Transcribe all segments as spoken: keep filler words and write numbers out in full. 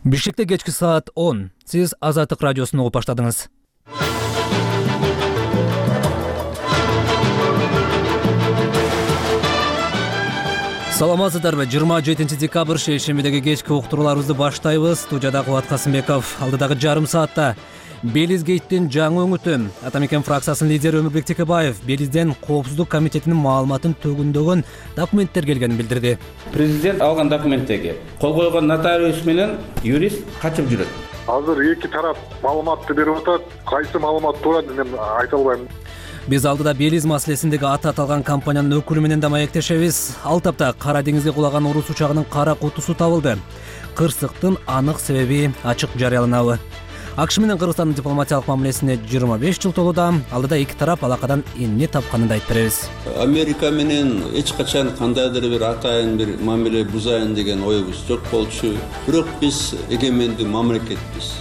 Бишкекте кечки саат он. Сиз Азаттык радиосун угуп баштадыңыз. Саламатсыздарбы? жыйырма жетинчи декабрь шейшембидеги кечки уктурууларыбызды баштайбыз. Студияда Кубат Касымбеков. Алдыдагы жарым саатта Белизгейттин жаңы өңүтү. Атамекен фракциясынын лидери Өмүрбек Текебаев Белизден Коопсуздук комитетинин маалыматын төгүндөгөн документтер келгенин билдирди. Президент алган документтеги кол койгон нотариус менен юрист качып жүрөт. Азыр эки тарап маалыматты берип атат. Кайсы маалымат туура мен айта албайм. Биз алдыда Белиз маселесиндеги аты аталган компаниянын өкүлү менен да маектешебиз. Ал тапта Кара деңизге кулаган орус учагынын кара кутусу табылды. Кырсыктын анык себеби ачык жарыяланабы? АКШ менен Кыргызстандын дипломатиялык мамилесине жыйырма беш жыл толууда. Алдыда эки тарап алакадан эмне тапканын да айтып беребиз. Америка менен эч качан кандайдыр бир атайын бир мамиле бузайын деген оюбуз жок болчу. Бирок биз эгемендүү мамлекетпиз.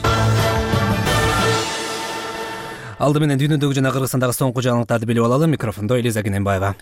Алды менен дүйнөдөгү жана Кыргызстандагы соңку жаңылыктарды билип алалы. Микрофондо Элиза Кененбаева.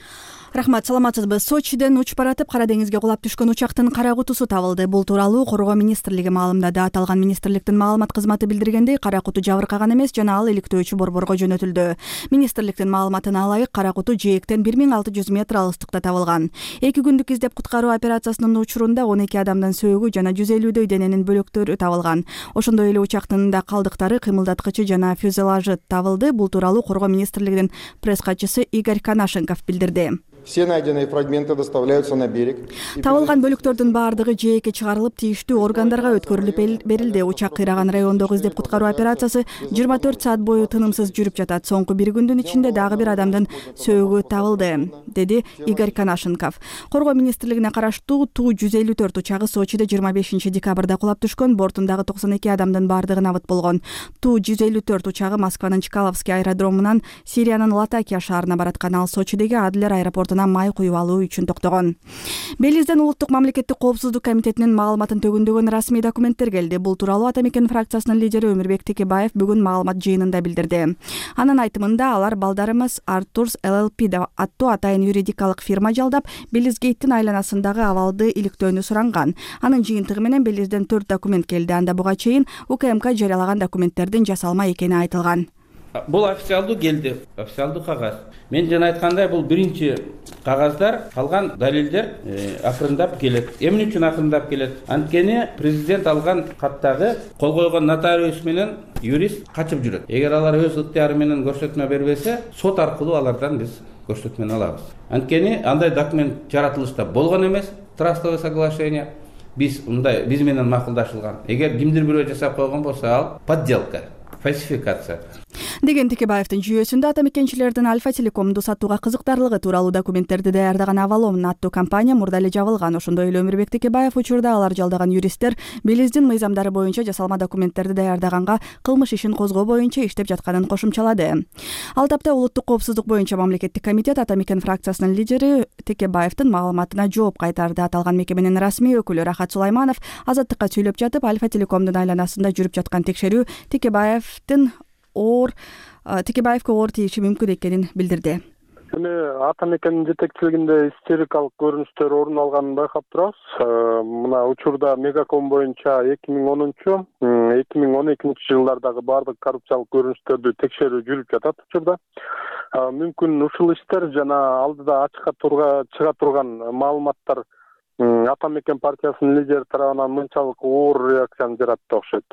Рахмат, саламатсызбы? Сочиден учуп баратып Кара деңизге кулап түшкөн учактын кара кутусу табылды. Бул тууралуу Коргоо министрлиги маалымдады. Аталган министрликтин маалымат кызматы билдиргендей, кара куту жабыркаган эмес жана ал иликтөөчү борборго жөнөтүлдү. Министрликтин маалыматына ылайык, кара куту жээктен бир миң алты жүз метр алыстыкта табылган. эки күндүк издеп куткаруу операциясынын учурунда он эки адамдын сөөгү жана жүз элүүдөй дененин бөлөктөрү табылган. Ошондой эле учактын да калдыктары, кыймылдаткычы жана фюзелажы табылды. Бул тууралуу Коргоо министрлигинин пресс катчысы Игорь Канашенков билдирди. Все найденные фрагменты доставляются на берег. Табылган бөлүктөрдүн баардыгы жээкке чыгарылып, тийиштүү органдарга өткөрүлүп берилди. Учак кыйраган райондогу издеп куткаруу операциясы жыйырма төрт саат бою тынымсыз жүрүп жатат. Соңку бир күндүн ичинде дагы бир адамдын сөөгү табылды, деди Игорь Канашенков. Коргоо министрлигине караштуу Ту жүз элүү төрт учагы Сочиде жыйырма бешинчи декабрда кулап түшкөн. Бортундагы токсон эки адамдын баардыгы набыт болгон. Ту жүз элүү төрт учагы Москванын Чкаловский аэродромунан Сириянын Латакия шаарына бараткан. Ал Сочидеги Адлер аэропортуна май куюп алуу үчүн токтогон. Белизден Улуттук мамлекеттик коопсуздук комитетинин маалыматын төгүндөгөн расмий документтер келди. Бул тууралуу Атамекен фракциясынын лидери Өмүрбек Текебаев бүгүн маалымат жыйынында билдирди. Анын айтымында, алар балдарымыз Артурс эл эл пи аттуу атайын юридикалык фирма жалдап, Белизгейттин айланасындагы абалды иликтөөнү суранган. Анын жыйынтыгы менен Белизден төрт документ келди. Анда буга чейин У К М К жарыялаган документтердин жасалма экени айтылган. Бул официалдуу келди, официалдуу кагаз. Мен жана айткандай, бул биринчи кагаздар, калган далилдер акырындап келет. Эмне үчүн акырындап келет? Анткени президент алган каттагы кол койгон нотариус менен юрист качып жүрөт. Эгер алар өз ыктыяры менен көрсөтмө бербесе, сот аркылуу алардан биз көрсөтмөнү алабыз. Анткени андай документ жаратылышта болгон эмес, трастовое соглашение. Биз мындай биз менен макулдашылган. Эгер кимдир бирөө жасап койгон болсо, ал подделка, фальсификация деген Текебаевдин жүйөсүндө атамекенчилердин Альфа Телекомду сатууга кызыктарлыгы тууралуу документтерди даярдаган Авалом аттуу компания мурда эле жабылган. Ошондой эле Өмүрбек Текебаев учурда алар жалдаган юристтер Белиздин мыйзамдары боюнча жасалма документтерди даярдаганга кылмыш ишин козгоо боюнча иштеп жатканын кошумчалады. Ал тапта Улуттук коопсуздук боюнча мамлекеттик комитет Атамекен фракциясынын лидери Текебаевдин маалыматына жооп кайтарды. Аталган мекеменин расмий өкүлү Рахат Сулайманов Азаттыкка сүйлөп жатып, Альфа Телекомдун айланасында жүрүп жаткан текшерүү Текебаевдин оор Текебаевге оор тийиши мүмкүн экенин билдирди. Эми Атамекендин жетекчилигинде истерикалык көрүнүштөр орун алганын байкап турабыз. Мына учурда Мегаком боюнча эки миң онунчу эки миң он экинчи жылдардагы баардык коррупциялык көрүнүштөрдү текшерүү жүрүп жатат учурда. Мүмкүн ушул иштер жана алдыда ачыкка чыга турган маалыматтар Атамекен партиясынын лидери тарабынан мынчалык оор реакцияны жаратты окшойт,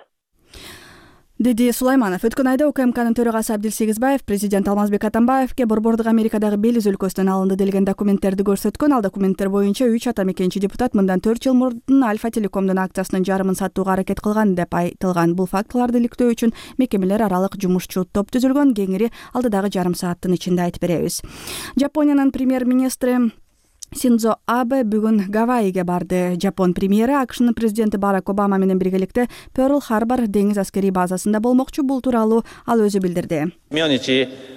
деди Сулайманов. Өткөн айда У К М Кнын төрагасы Абдил Сегизбаев президент Алмазбек Атамбаевге борбордук Америкадагы Белиз өлкөсүнөн алынды делген документтерди көрсөткөн. Ал документтер боюнча үч атамекенчи депутат мындан төрт жыл мурдун Альфа Телекомдун акциясынын жарымын сатууга аракет кылган деп айтылган. Бул фактыларды иликтөө үчүн мекемелер аралык жумушчу топ түзүлгөн. Кеңири алдыдагы жарым сааттын ичинде айтып беребиз. Жапониянын премьер-министри Синдзо Абе бүгүн Гавайиге барды. Жапон премьери АКШнын президенти Барак Обама менен биргеликте Перл-Харбор деңиз аскерий базасында болмокчу. Бул тууралуу ал өзү билдирди.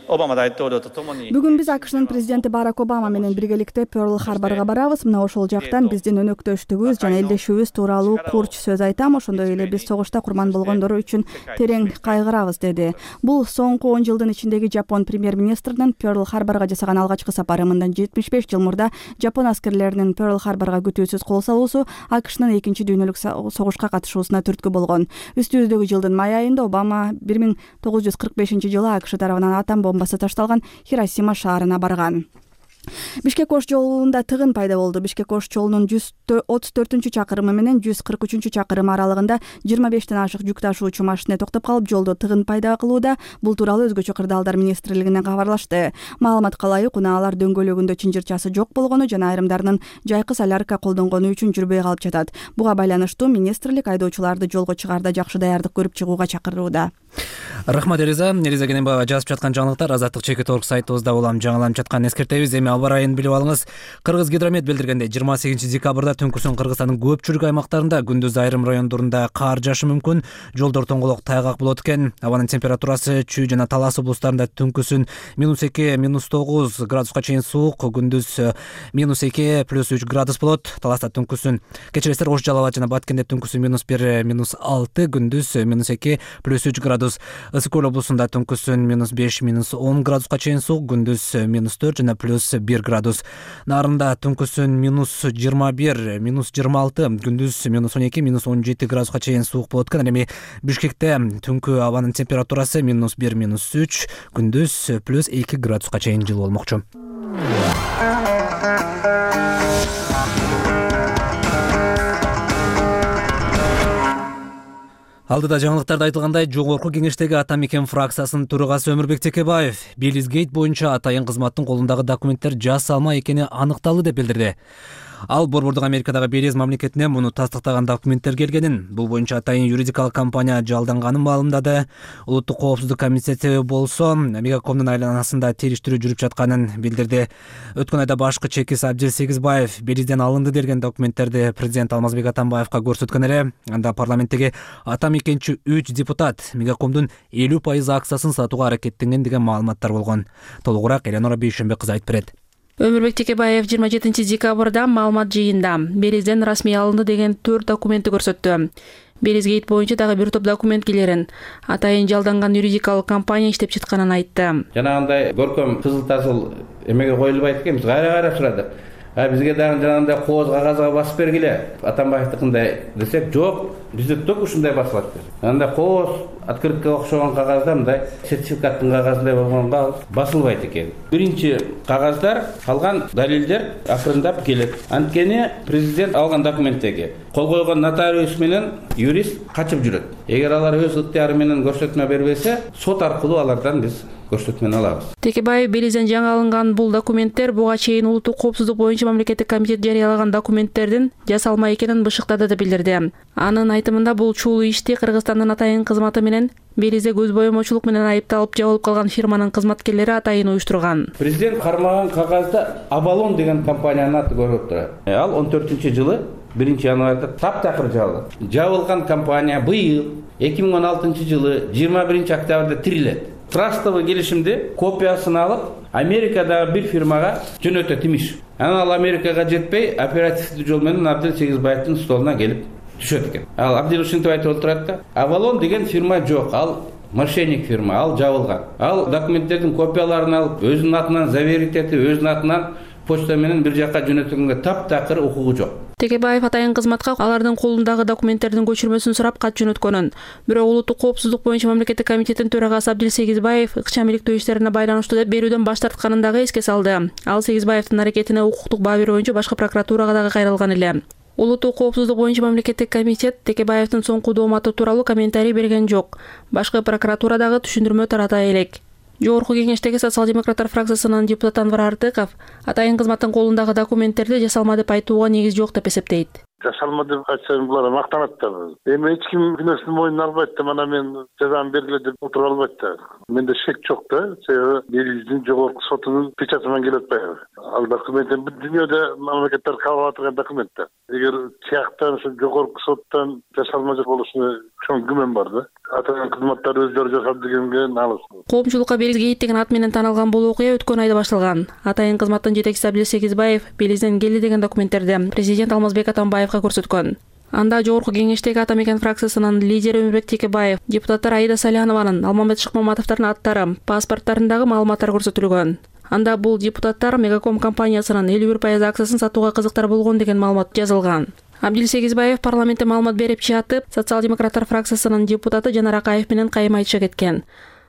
Бүгүн биз АКШнын президенти Барак Обама менен биргеликте Перл-Харборго барабыз. Мына ошол жактан биздин өнөктөштүгүбүз жана элдешүүбүз тууралуу курч сөз айтам. Ошондой эле биз согушта курман болгондор үчүн терең кайгырабыз, деди. Бул соңку он жылдын ичиндеги Жапон премьер-министринин Перл-Харборго жасаган алгачкы сапары. Мындан жетимиш беш жыл мурда Жапон аскерлеринин Перл-Харборго күтүүсүз кол салуусу АКШнын экинчи дүйнөлүк согушка катышуусуна түрткү болгон. Үстүбүздөгү жылдын май айында Обама бир миң тогуз жүз кырк бешинчи жылы АКШ тарабынан атом бомбасы ташталган Хиросима шаарына барган. Бишкек Ош жолунда тыгын пайда болду. Бишкек Ош жолунун жүз отуз төртүнчү чакырымы менен жүз кырк үчүнчү чакырымы аралыгында жыйырма бештен ашык жүк ташуучу машина токтоп калып, жолдо тыгын пайда кылууда. Бул тууралуу өзгөчө кырдаалдар министрлигинен кабарлашты. Маалыматка ылайык, унаалар дөңгөлөгүндө чынжырчасы жок болгону жана айрымдарынын жайкы солярка колдонгону үчүн жүрбөй калып жатат. Буга байланыштуу министрлик айдоочуларды жолго чыгаарда жакшы даярдык көрүп чыгууга чакырууда. Рахмат Элиза. Элиза Кененбаева жазып жаткан жаңылыктар Азаттык чекит орг сайтыбызда улам жаңыланып жатканын эскертебиз. Эми аба ырайын билип алыңыз. Кыргыз гидромет билдиргендей, жыйырма сегизинчи декабрда түнкүсүн Кыргызстандын көпчүлүк аймактарында, күндүз айрым райондорунда кар жаашы мүмкүн. Жолдор тоңголок тайгак болот экен. Абанын температурасы Чүй жана Талас облустарында түнкүсүн минус эки, минус тогуз градуска чейин суук, күндүз минус эки, плюс үч градус болот. Таласта түнкүсүн кечиресиздер, Ош, Жалал абад жана Баткенде түнкүсүн минус бир, минус алты, күндүз минус эки, плюс үч градус. Ысык Көл облусунда түнкүсүн минус беш, минус он градуска чейин суук, күндүз минус төрт жана плюс бир градус. Нарында түнкүсүн минус жыйырма бир, минус жыйырма алты, күндүз минус он эки, минус он жети градуска чейин суук болот экен. Эми Бишкекте түнкү абанын температурасы минус бир, минус үч, күндүз плюс эки градуска чейин жылуу болмокчу. Алдыда жаңылыктарда айтылгандай, жогорку кеңештеги Ата Мекен фракциясынын төрагасы Өмүрбек Текебаев Белизгейт боюнча атайын кызматтын колундагы документтер жасалма экени аныкталды деп билдирди. Ал Борбордук Америкадагы Белиз мамлекетинен муну тастыктаган документтер келгенин, бул боюнча атайын юридикалык компания жалданганын маалымдады. Улуттук коопсуздук комитети болсо Мегакомдун айланасында териштирүү жүрүп жатканын билдирди. Өткөн айда башкы чекис Абдил Сегизбаев Белизден алынды деген документтерди президент Алмазбек Атамбаевка көрсөткөн эле. Анда парламенттеги Ата Мекенчи үч депутат Мегакомдун элүү пайыз акциясын сатууга аракеттенген деген маалыматтар болгон. Толугураак Элеонора Бейшенбек кызы айтып берет. Өмүрбек Текебаев жыйырма жетинчи декабрда маалымат жыйында Белизден расмий алынды деген төрт документти көрсөттү. Белизгейт боюнча дагы бир топ документ келерин атайын жалданган юридикалык компания иштеп жатканын айтты. Жанагындай көркөм кызыл тазыл эмеге коюлбайт экен, биз кайра-кайра сурадык. А бизге дагы жанагындай кооз кагазга басып бергиле. Атамбаевдикындай десек, жок, бизде только ушундай басылат. Анда кооз открыткага окшогон кагазда мындай сертификаттын кагазындай болгонго басылбайт экен. Биринчи кагаздар, калган далилдер акырындап келет. Анткени президент алган документтеги кол койгон нотариус менен юрист качып жүрөт. Эгер алар өз ыктыяры менен көрсөтмө бербесе, сот аркылуу алардан биз көрсөтмөнү алабыз. Текебаев Белизден жаңы алынган бул документтер буга чейин улуттук коопсуздук боюнча мамлекеттик комитет жарыялаган документтердин жасалма экенин бышыктады деп билдирди. Анын айтымында бул чуулуу ишти Кыргызстандын атайын кызматы менен Белизде көз боемочулук менен айыпталып жабылып калган фирманын кызматкерлери атайын уюштурган. Президент кармаган кагазда Абалон деген компаниянын аты көрүнүп турат. Ал он төртүнчү жылы биринчи январда таптакыр жабылды. Жабылган компания быйыл эки миң он алтынчы жылы жыйырма биринчи октябрда тирилет. Трастовый келишимди копиясын алып, Америкадагы бир фирмага жөнөтөт имиш. Анан ал Америкага жетпей, оперативдүү жол менен Абдил Сегизбаевдин столуна келип түшөт экен. Ал Абдил ушинтип айтып отурат да, Авалон деген фирма жок, ал мошенник фирма, ал жабылган. Ал документтердин копияларын алып, өзүнүн атынан заверить этип, өзүнүн атынан почта менен бир жакка жөнөтүлгөнгө таптакыр укугу жок. Текебаев атайын кызматка алардын колундагы документтердин көчүрмөсүн сурап кат жөнөткөнүн, бирок улуттук коопсуздук боюнча мамлекеттик комитеттин төрагасы Абдил Сегизбаев ыкчам иликтөө иштерине байланыштуу деп берүүдөн баш тартканын дагы эске салды. Ал Сегизбаевдин аракетине укуктук баа берүү боюнча башкы прокуратурага дагы кайрылган эле. Улуттук коопсуздук боюнча мамлекеттик комитет Текебаевдин соңку дооматы тууралуу комментарий берген жок. Башкы прокуратура дагы түшүндүрмө тарата элек. Жогорку кеңештеги социал-демократтар фракциясынын депутаты Анвар Артыков атайын кызматтын колундагы документтерди жасалма деп айтууга негиз жок деп эсептейт. Жасалма деп айтсам булар мактанат да. Эми эч ким күнөөсүн мойнуна албайт да, мана мен жазам бергиле деп отуруп албайт да. Менде шек жок да, себеби Белиздин жогорку сотунун печаты менен келип атпайбы. Ал документтер бүт дүйнөдө мамлекеттер кабыл алып турган документтер. Эгер тияктан ушу жогорку соттон жасалма болушуна чоң күмөн бар да. Атайын кызматтар өздөрү жасап дегенге налыс. Коомчулукка Белизгейт деген ат менен таанылган бул окуя өткөн айда башталган. Атайын кызматтын жетекчиси Абдил Сегизбаев Белизден келди деген документтерди президент Алмазбек Атамбаевка көрсөткөн. Анда жогорку кеңештеги Ата Мекен фракциясынын лидери Өмүрбек Текебаев, депутаттар Аида Салянованын, Алмамбет Шыкмаматовдордун аттары, паспорттарындагы маалыматтар көрсөтүлгөн. Анда бул депутаттар Мегаком компаниясынын элүү бир пайыз акциясын сатууга кызыктар болгон деген маалымат жазылган. Абдил Сегизбаев парламентте маалымат берип жатып, социал-демократтар фракциясынын депутаты Жанар Акаев менен кайым айтыша кеткен.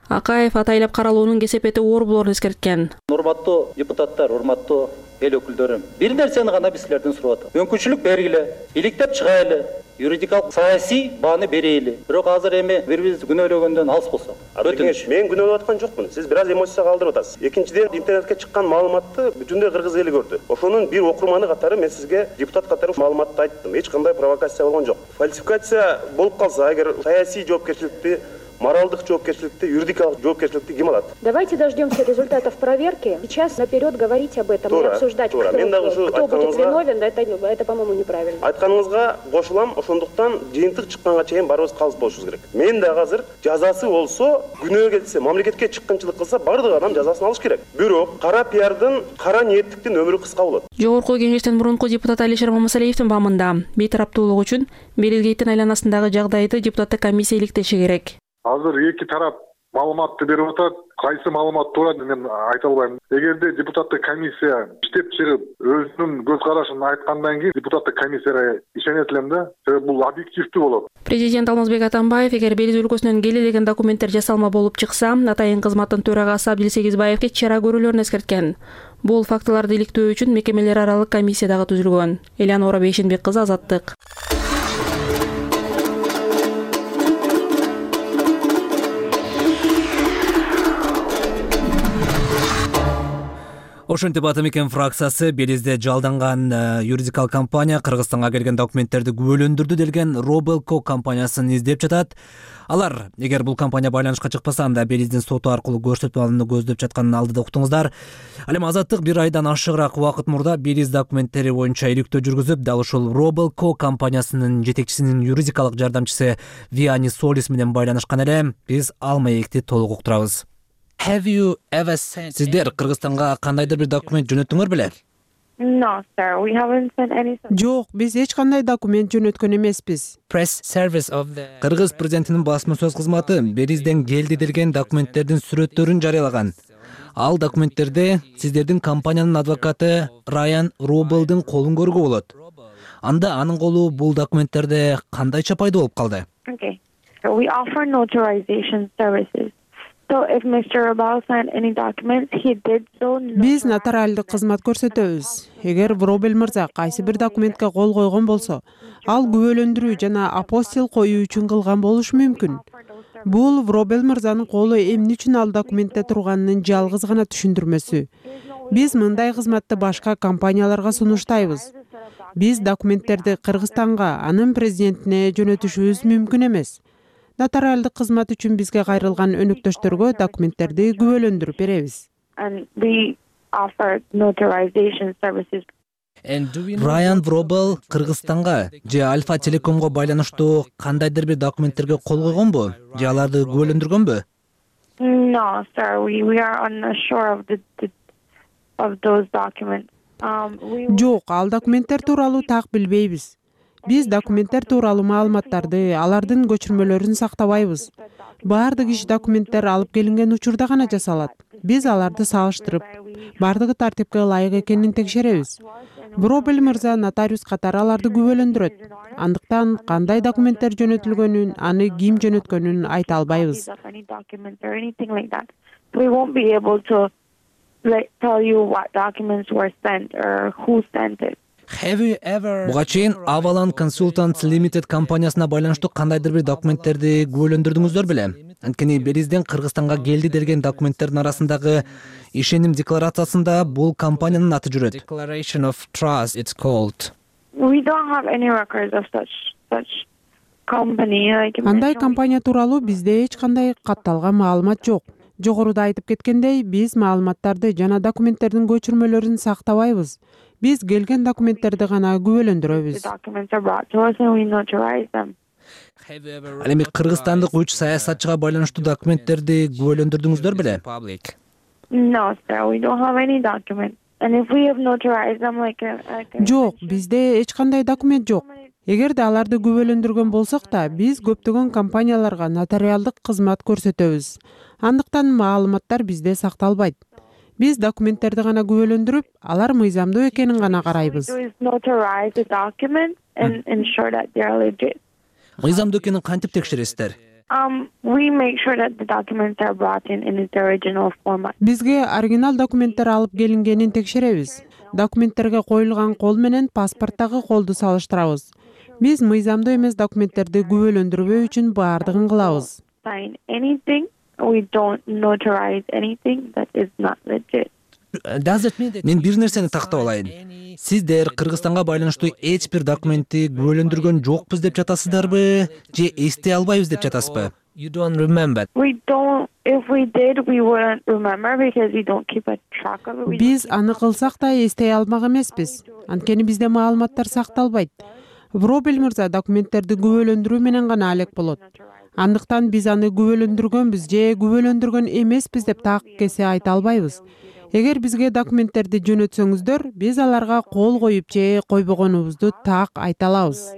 Акаев атайлап каралуунун кесепети оор болоорун эскерткен. Урматтуу депутаттар, урматтуу эл өкүлдөрүм, бир нерсени гана биз силерден сурап атам. Мүмкүнчүлүк бергиле, иликтеп чыгайлы, юридикалык саясий бааны берели. Бирок азыр эми бири-бирибизди күнөөлөгөндөн алыс болсок. Өтүнүч. Мен күнөөлөп аткан жокмун. Сиз бир аз эмоцияга калтырып атасыз. Экинчиден, интернетке чыккан маалыматты бүтүндөй кыргыз эли көрдү. Ошонун бир окурманы катары мен сизге депутат катары маалыматты айттым. Эч кандай провокация болгон жок. Фальсификация болуп калса, эгер саясий жоопкерчиликти, моралдык жоопкерчиликти, юридикалык жоопкерчиликти ким алат? Давайте дождемся результатов проверки. Сейчас наперед говорить об этом и обсуждать, кто, кто будет виновен, это, это, по-моему, неправильно. Айтканыңызга кошулам, ошондуктан жыйынтык чыкканга чейин барыбыз калыс болушубуз керек. Мен да азыр жазасы болсо, күнөө келсе, мамлекетке чыккынчылык кылса, бардык адам жазасын алыш керек. Бирок кара пиардын, кара ниеттиктин өмүрү кыска болот. Жогорку кеңештен мурунку депутат Алишер Мамасалиевдин бамында бейтараптуулук үчүн Белилгейттин айланасындагы жагдайды депутаттык комиссия иликтеши керек. Азыр эки тарап маалыматты берип атат. Кайсы маалымат туура мен айта албайм. Эгерде депутаттык комиссия иштеп чыгып, өзүнүн көз карашын айткандан кийин депутаттык комиссияга ишенет элем да. Себеби бул объективдүү болот. Президент Алмазбек Атамбаев эгер Белиз өлкөсүнөн келе деген документтер жасалма болуп чыкса, атайын кызматтын төрагасы Абдил Сегизбаевге чара көрүүлөрүн эскерткен. Бул фактыларды иликтөө үчүн мекемелер аралык комиссия дагы түзүлгөн. Элеонора Бейшенбек кызы, Азаттык. Ошентип Атамекен фракциясы Белизде жалданган юридикалык компания Кыргызстанга келген документтерди күбөлөндүрдү делген Робелко компаниясын издеп жатат. Алар, эгер бул компания байланышка чыкпаса, анда Белиздин соту аркылуу көрсөтмө алууну көздөп жатканын алдыда уктуңуздар. Ал эми Азаттык бир айдан ашыгыраак убакыт мурда Белиз документтери боюнча иликтөө жүргүзүп, дал ушул Робелко компаниясынын жетекчисинин юридикалык жардамчысы Виани Солис менен байланышкан эле. Биз ал маекти толук уктурабыз. Сиздер Кыргызстанга кандайдыр бир документ жөнөттүңөр беле? No, sir. We haven't sent any. Жок, биз эч кандай документ жөнөткөн эмеспиз. Кыргыз президентинин басма сөз кызматы Белизден келди делген документтердин сүрөттөрүн жарыялаган. Ал документтерде сиздердин компаниянын адвокаты Райан Робелдин колун көрүүгө болот. Анда анын колу бул документтерде кандайча пайда болуп калды? Okay. So we offer notarization services. So if Mister Robel signed any documents, he did so. Биз нотариалдык кызмат көрсөтөбүз. Эгер Робел мырза кайсы бир документке кол койгон болсо, ал күбөлөндүрүү жана апостил коюу үчүн кылган болушу мүмкүн. Бул Робел мырзанын колу эмне үчүн ал документте турганынын жалгыз гана түшүндүрмөсү. Биз мындай кызматты башка компанияларга сунуштайбыз. Биз документтерди Кыргызстанга, анын президентине жөнөтүшүбүз мүмкүн эмес. Нотариалдык кызмат үчүн бизге кайрылган өнөктөштөргө документтерди күбөлөндүрүп беребиз. Райан Робел Кыргызстанга же Альфа Телекомго байланыштуу кандайдыр бир документтерге кол койгонбу? Же аларды күбөлөндүргөнбү? No, sir. We we are unsure of the, the of those documents. Um, we... Жок, ал документтер тууралуу так билбейбиз. Биз документтер тууралуу маалыматтарды, алардын көчүрмөлөрүн сактабайбыз. Баардык иш документтер алып келинген учурда гана жасалат. Биз аларды салыштырып, баардыгы тартипке ылайык экенин текшеребиз. Робел мырза нотариус катары аларды күбөлөндүрөт. Андыктан кандай документтер жөнөтүлгөнүн, аны ким жөнөткөнүн айта албайбыз. We won't be able to tell you what documents were sent or who sent it. Буга чейин Avalon Consultants Limited компаниясына байланыштуу кандайдыр бир документтерди күбөлөндүрдүңүздөр беле? Анткени Белизден Кыргызстанга келди делген документтердин арасындагы ишеним декларациясында бул компаниянын аты жүрөт. Declaration of Trust it's called. We don't have any records of such such company. Андай компания тууралуу бизде эч кандай катталган маалымат жок. Жогоруда айтып кеткендей, биз маалыматтарды жана документтердин көчүрмөлөрүн сактабайбыз. Биз келген документтерди гана күбөлөндүрөбүз. Ал эми кыргызстандык үч саясатчыга байланыштуу документтерди күбөлөндүрдүңүздөр беле? No, sir, we don't have any documents. And if we have notarized them like a, like a... Жок, бизде эч кандай документ жок. Эгерде аларды күбөлөндүргөн болсок да, биз көптөгөн компанияларга нотариалдык кызмат көрсөтөбүз. Андыктан маалыматтар бизде сакталбайт. Биз документтерди гана күбөлөндүрүп, алар мыйзамдуу экенин гана карайбыз. Мыйзамдуу экенин кантип текшересиздер? Um, we make sure that the documents are brought in in its original format. Бизге оригинал документтер алып келингенин текшеребиз. Документтерге коюлган кол менен паспорттагы колду салыштырабыз. Биз мыйзамдуу эмес документтерди күбөлөндүрбөө үчүн баардыгын кылабыз. Sign anything, we don't notarize anything that is not legit. Мен бир нерсени тактап алайын. Сиздер Кыргызстанга байланыштуу эч бир документти күбөлөндүргөн жокпуз деп жатасыздарбы, же эстей албайбыз деп жатасызбы? You don't remember. We don't. If we did, we wouldn't remember because we don't keep a track of it. Биз аны кылсак да эстей алмак эмеспиз. Анткени бизде маалыматтар сакталбайт. Вробел мырза документтерди күбөлөндүрүү менен гана алек болот. Андыктан биз аны күбөлөндүргөнбүз же күбөлөндүргөн эмеспиз деп так кесе айта албайбыз. Эгер бизге документтерди жөнөтсөңүздөр, биз аларга кол коюп же койбогонубузду так айта алабыз.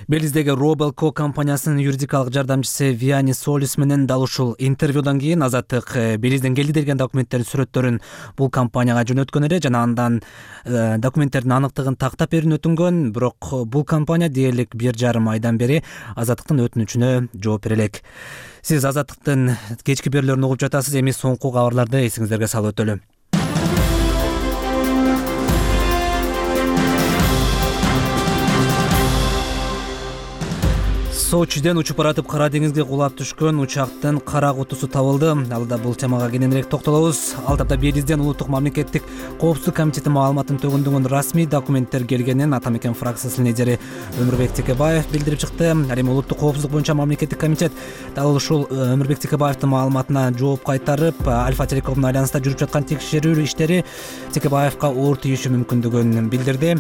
Белиздеги Робelco компаниясынын юридикалык жардамчысы Виани Солис менен дал ушул интервьюдан кийин Азаттык Белизден келди деген документтердин сүрөттөрүн бул компанияга жөнөткөн эле жана андан э, документтердин аныктыгын тактап берүүнү өтүнгөн, бирок бул компания дээрлик бир жарым айдан бери Азаттыктын өтүнүчүнө жооп бере элек. Сиз Азаттыктын кечки берүүлөрүн угуп жатасыз, эми соңку кабарларды эсиңиздерге салып өтөлү. Сочиден учуп баратып Кара деңизге кулап түшкөн учактын кара кутусу табылды. Алда бул темага кененирээк токтолобуз. Ал тапта Белизден улуттук мамлекеттик коопсуздук комитети маалыматын төгүндөгөн расмий документтер келгенин Ата Мекен фракциясынын лидери Өмүрбек Текебаев билдирип чыкты. Ал эми улуттук коопсуздук боюнча мамлекеттик комитет дал ушул Өмүрбек Текебаевдин маалыматына жооп кайтарып, Альфа Телекомдун айланасында жүрүп жаткан текшерүү иштери Текебаевка оор тийиши мүмкүндүгүн билдирди.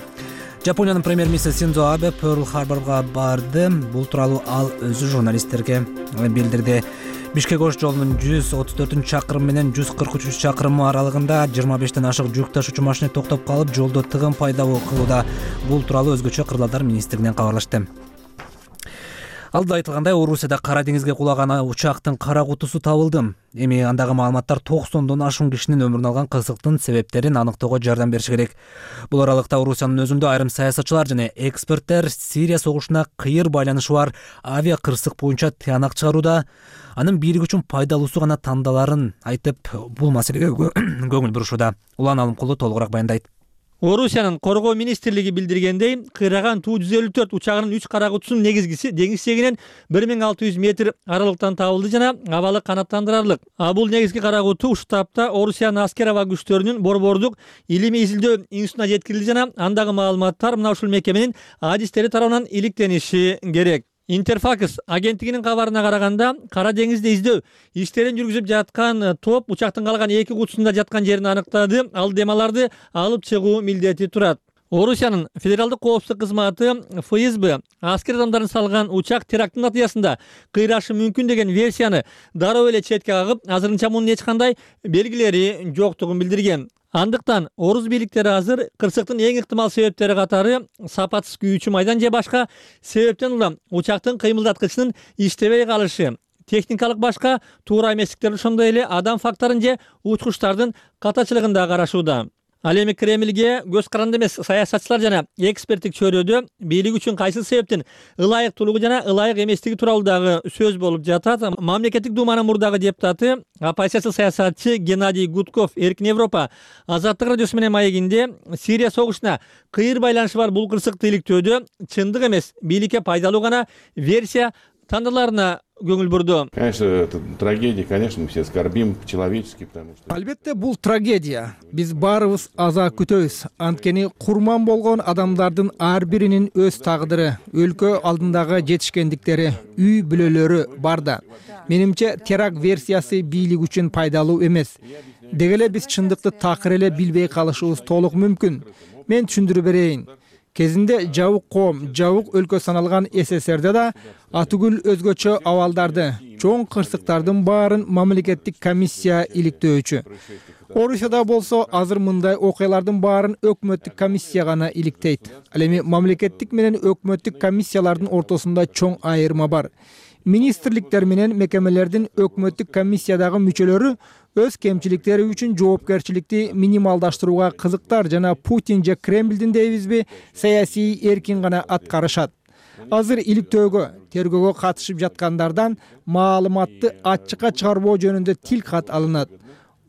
Жапониянын премьер-министри Синдзо Абе Перл Харборго барды. Бул тууралуу ал өзү журналисттерге билдирди. Бишкек-Ош жолунун жүз отуз төртүнчү чакырымы менен жүз кырк үчүнчү чакырымы аралыгында жыйырма бештен ашык жүк ташуучу машина токтоп калып, жолдо тыгын пайда кылууда. Бул тууралуу өзгөчө Кырдаалдар министрлигинен кабарлашты. Алда айтылгандай, Орусияда Кара деңизге кулаган учактын кара кутусу табылды. Эми андагы маалыматтар токсондон ашуун кишинин өмүрүн алган кырсыктын себептерин аныктоого жардам бериши керек. Бул аралыкта Орусиянын өзүндө айрым саясатчылар жана эксперттер Сирия согушуна кыйыр байланышы бар авиа кырсык боюнча тыянак чыгарууда, анын бийлик үчүн пайдалуусу гана тандаларын айтып, бул маселеге көңүл бурушууда. Улан Алымкулу толугураак баяндайт. Орусиянын коргоо министрлиги билдиргендей, кыйраган Ту жүз элүү төрт учагынын үч кара кутусунун негизгиси деңиз чегинен бир миң алты жүз метр аралыктан табылды жана абалы канааттандырарлык. А бул негизги кара куту ушул тапта Орусиянын аскер аба күчтөрүнүн Борбордук илимий изилдөө институтуна жеткирилди жана андагы маалыматтар мына ушул мекеменин адистери тарабынан иликтениши керек. Интерфакс агенттигинин кабарына караганда, Кара деңизде издөө иштерин жүргүзүп жаткан топ учактын калган эки кутусунда жаткан жерин аныктады. Ал демаларды алып чыгуу милдети турат. Орусиянын федералдык коопсуздук кызматы эф эс бэ аскер адамдарын салган учак терактын натыйжасында кыйрашы мүмкүн деген версияны дароо эле четке кагып, азырынча мунун эч кандай белгилери жоктугун билдирген. Андыктан орус бийликтери азыр кырсыктын эң ыктымал себептери катары сапатсыз күйүүчү майдан же башка себептен улам учактын кыймылдаткычынын иштебей калышы, техникалык башка туура эместиктерин, ошондой эле адам факторун же учкучтардын катачылыгын да карашууда. Ал эми Кремльге көз каранды эмес саясатчылар жана эксперттик чөйрөдө бийлик үчүн кайсыл себептен ылайыктуулугу жана ылайык эместиги тууралуу дагы сөз болуп жатат. Мамлекеттик думанын мурдагы депутаты, оппозициялык саясатчы Геннадий Гудков Эркин Европа Азаттык радиосу менен маегинде Сирия согушуна кыйыр байланышы бар бул кырсыкты иликтөөдө чындык эмес, бийликке пайдалуу гана версия тандаларына көңүл бурду. Конечно, это трагедия, конечно, мы все скорбим по-человечески, потому что... Албетте, бул трагедия. Биз баарыбыз аза күтөбүз. Анткени курман болгон адамдардын ар биринин өз тагдыры, өлкө алдындагы жетишкендиктери, үй бүлөлөрү бар да. Менимче, теракт версиясы бийлик үчүн пайдалуу эмес. Дегеле биз чындыкты такыр эле билбей калышыбыз толук мүмкүн. Мен түшүндүрүп берейин. Кезинде жабык коом, жабык өлкө саналган эс эс эрде да атүгүл өзгөчө абалдарды, чоң кырсыктардын баарын мамлекеттик комиссия иликтөөчү. Орусияда болсо азыр мындай окуялардын баарын өкмөттүк комиссия гана иликтейт. Ал эми мамлекеттик менен өкмөттүк комиссиялардын ортосунда чоң айырма бар. министрликтер менен мекемелердин өкмөттүк комиссиядагы мүчөлөрү өз кемчиликтери үчүн жоопкерчиликти минималдаштырууга кызыктар жана Путин же Кремлдин дейбизби саясий эркин гана аткарышат. Азыр иликтөөгө, тергөөгө катышып жаткандардан маалыматты ачыкка чыгарбоо жөнүндө тил кат алынат.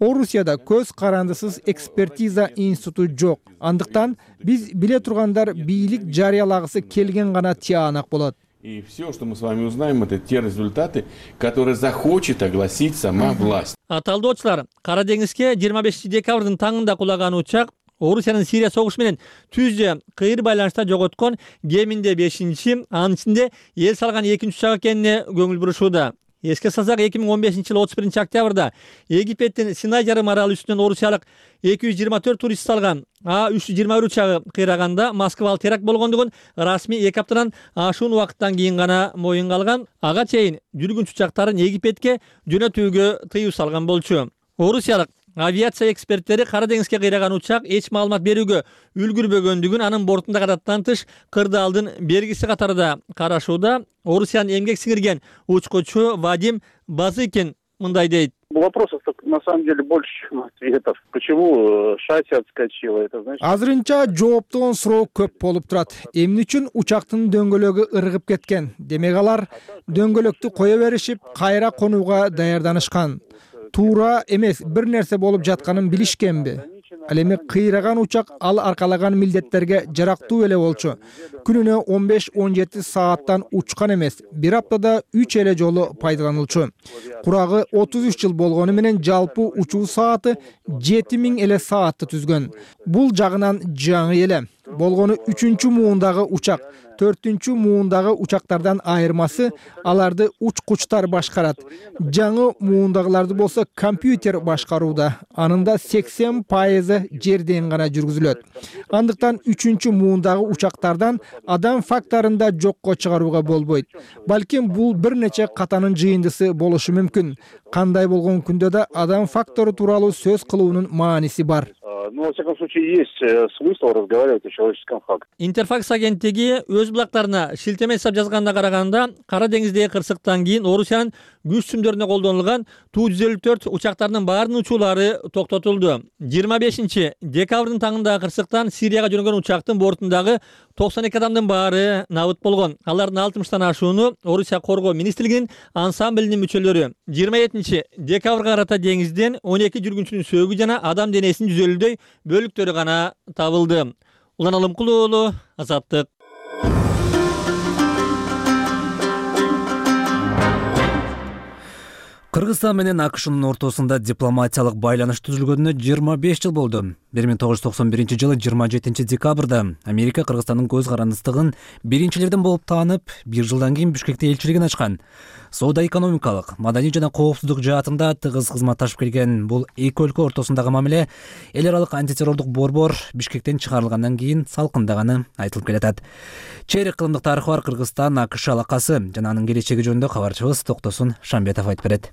Орусияда көз карандысыз экспертиза институту жок. Андыктан биз биле тургандар бийлик жарыялагысы келген гана тиянак болот. И все, что мы с вами узнаем, это те результаты, которые захочет огласить сама власть. Аталдоочулар, Кара деңизге жыйырма бешинчи декабрдын таңында кулаган учак Орусиянын Сирия согушу менен түздө кыйыр байланышта жоготкон кеминде бешинчи, анын ичинде эл салган экинчи учак экенине көңүл бурушууда. Эске салсак, эки миң он бешинчи жылы отуз биринчи октябрда Египеттин Синай жарым аралы үстүнөн орусиялык эки жүз жыйырма төрт турист салган А үч жүз жыйырма бир учагы кыйраганда Москвалык теракт болгондугун расмий эки аптадан ашуун убакыттан кийин гана моюнга алган. Ага чейин жүргүнчү учактарын Египетке жөнөтүүгө тыюу салган болчу. Орусиялык авиация эксперттери Кара деңизге кыйраган учак эч маалымат берүүгө үлгүрбөгөндүгүн, анын бортунда кадаттан тыш кырдаалдын бергиси катарында карашууда. Орусиянын эмгек сиңирген учкучу Вадим Базыкин мындай дейт. Вопросов на самом деле больше, чем ответов. Почему шасси отскочило? Это значит... Азырынча жооптон суроо көп болуп турат. Эмне үчүн учактын дөңгөлөгү ыргып кеткен? Демек алар дөңгөлөктү кое беришип, кайра конууга даярданышкан. Туура эмес, бир нерсе болуп жатканын билишкенби? Ал эми кыйраган учак ал аркалаган милдеттерге жарактуу эле болчу. Күнүнө он беш он жети сааттан учкан эмес, бир аптада үч эле жолу пайдаланылчу. Курагы отуз үч жыл болгону менен жалпы учуу сааты жети миң эле саатты түзгөн. Бул жагынан жаңы эле. Болгону үчүнчү муундагы учак. Төртүнчү муундагы учактардан айырмасы аларды учкучтар башкарат. Жаңы муундагыларды болсо компьютер башкарууда. Анында сексен пайызы жерден гана жүргүзүлөт. Андыктан үчүнчү муундагы учактардан адам факторунда жокко чыгарууга болбойт. Балким бул бир нече катанын жыйындысы болушу мүмкүн. Кандай болгон күндө да адам фактору тууралуу сөз кылуунун мааниси бар. Ну, во всяком случае, есть смысл разговаривать о человеческом факте. Интерфакс агенттиги өз булактарына шилтеме жасап жазганда караганда, Кара деңиздеги кырсыктан кийин Орусиянын күч сүмдөрүнө колдонулган Ту жүз элүү төрт учактарынын баарынын учуулары токтотулду. жыйырма бешинчи декабрдын таңындагы кырсыктан Сирияга жөнөгөн учактын бортундагы токсон эки адамдын баары набыт болгон. Алардын алтымыштан ашууну Орусия коргоо министрлигинин ансамблинин мүчөлөрү. жыйырма жетинчи декабрга карата деңизден он эки жүргүнчүнүн сөөгү жана адам денесинин жүз элүүдөй бөлүктөрү гана табылды. Улан Алымкулуу уулу, Азаттык. Кыргызстан менен АКШнын ортосунда дипломатиялык байланыш түзүлгөнүнө жыйырма беш жыл болду. бир миң тогуз жүз токсон биринчи жылы жыйырма жетинчи декабрда Америка Кыргызстандын көз карандыстыгын биринчилерден болуп таанып, бир жылдан кийин Бишкекте элчилигин ачкан. Соода экономикалык, маданий жана коопсуздук жаатында тыгыз кызматташып келген бул эки өлкө ортосундагы мамиле эл аралык антитеррордук борбор Бишкектен чыгарылгандан кийин салкындаганы айтылып келатат. Чейрек кылымдык тарыхы бар Кыргызстан АКШ алакасы жана анын келечеги жөнүндө кабарчыбыз Токтосун Шамбетов айтып берет.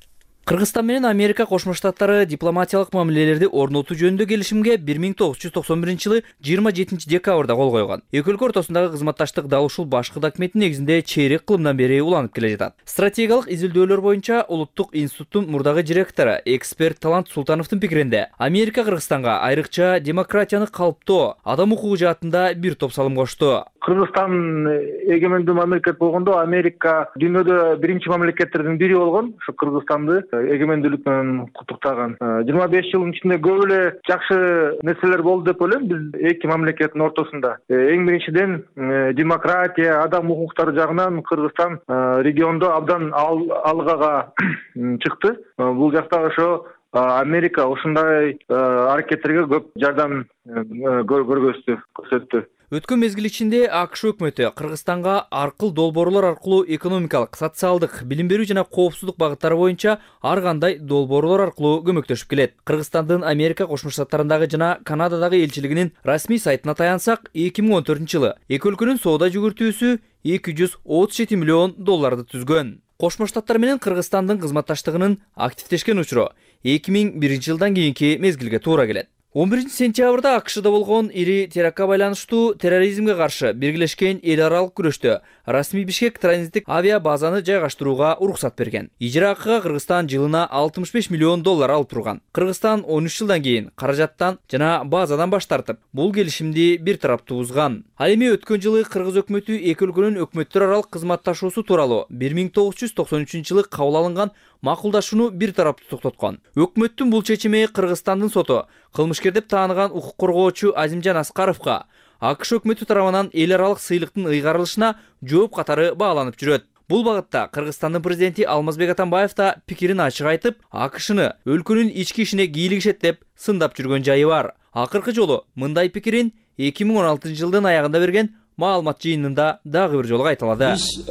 Кыргызстан менен Америка Кошмо Штаттары дипломатиялык мамилелерди орнотуу жөнүндө келишимге бир миң тогуз жүз токсон биринчи жылы жыйырма жетинчи декабрда кол койгон. Эки өлкө ортосундагы кызматташтык дал ушул башкы документтин негизинде чейрек кылымдан бери уланып келе жатат. Стратегиялык изилдөөлөр боюнча Улуттук институттун мурдагы директору, эксперт Талант Султановдун пикиринде, Америка Кыргызстанга айрыкча демократияны калыптоо, адам укугу жаатында бир топ салым кошту. Кыргызстан эгемендүү мамлекет болгондо Америка дүйнөдө биринчи мамлекеттердин бири болгон. Ушу Кыргызстанды эгемендүүлүк менен куттуктаган. жыйырма беш жылдын ичинде көп эле жакшы нерселер болду деп ойлойм биз эки мамлекеттин ортосунда. Эң биринчиден демократия, адам укуктары жагынан Кыргызстан региондо абдан алгага чыкты. Бул жакта ошо Америка ушундай аракеттерге көп жардам көргөздү, көрсөттү. Өткөн мезгил ичинде АКШ өкмөтү Кыргызстанга аркыл долбоорлор аркылуу экономикалык, социалдык, билим берүү жана коопсуздук багыттары боюнча ар кандай долбоорлор аркылуу көмөктөшүп келет. Кыргызстандын Америка Кошмо Штаттарындагы жана Канададагы элчилигинин расмий сайтына таянсак, эки миң он төртүнчү жылы эки өлкөнүн соода жүгүртүүсү эки жүз отуз жети миллион долларды түзгөн. Кошмо Штаттар менен Кыргызстандын кызматташтыгынын активдешкен учуру эки миң биринчи жылдан кийинки мезгилге туура келет. он биринчи сентябрда АКШда болгон ири терактка байланыштуу терроризмге каршы биргелешкен эл аралык күрөштө расмий Бишкек транзиттик авиа базаны жайгаштырууга уруксат берген. Ижара акыга Кыргызстан жылына алтымыш беш миллион доллар алып турган. Кыргызстан он үч жылдан кийин каражаттан жана базадан баш тартып, бул келишимди бир тараптуу бузган. Ал эми өткөн жылы Кыргыз өкмөтү эки өлкөнүн өкмөттөр аралык кызматташуусу тууралуу бир миң тогуз жүз токсон үчүнчү жылы кабыл алынган макулдашууну бир тараптуу токтоткон. Өкмөттүн бул чечими Кыргызстандын соту кылмышкер деп тааныган укук коргоочу Азимжан Аскаровго АКШ өкмөтү тарабынан эл аралык сыйлыктын ыйгарылышына жооп катары бааланып жүрөт. Бул багытта Кыргызстандын президенти Алмазбек Атамбаев да пикирин ачык айтып, АКШны өлкөнүн ички ишине кийлигишет деп сындап жүргөн жайы бар. Акыркы жолу мындай пикирин эки миң он алтынчы жылдын аягында берген маалымат жыйынында дагы бир жолу кайталады. Биз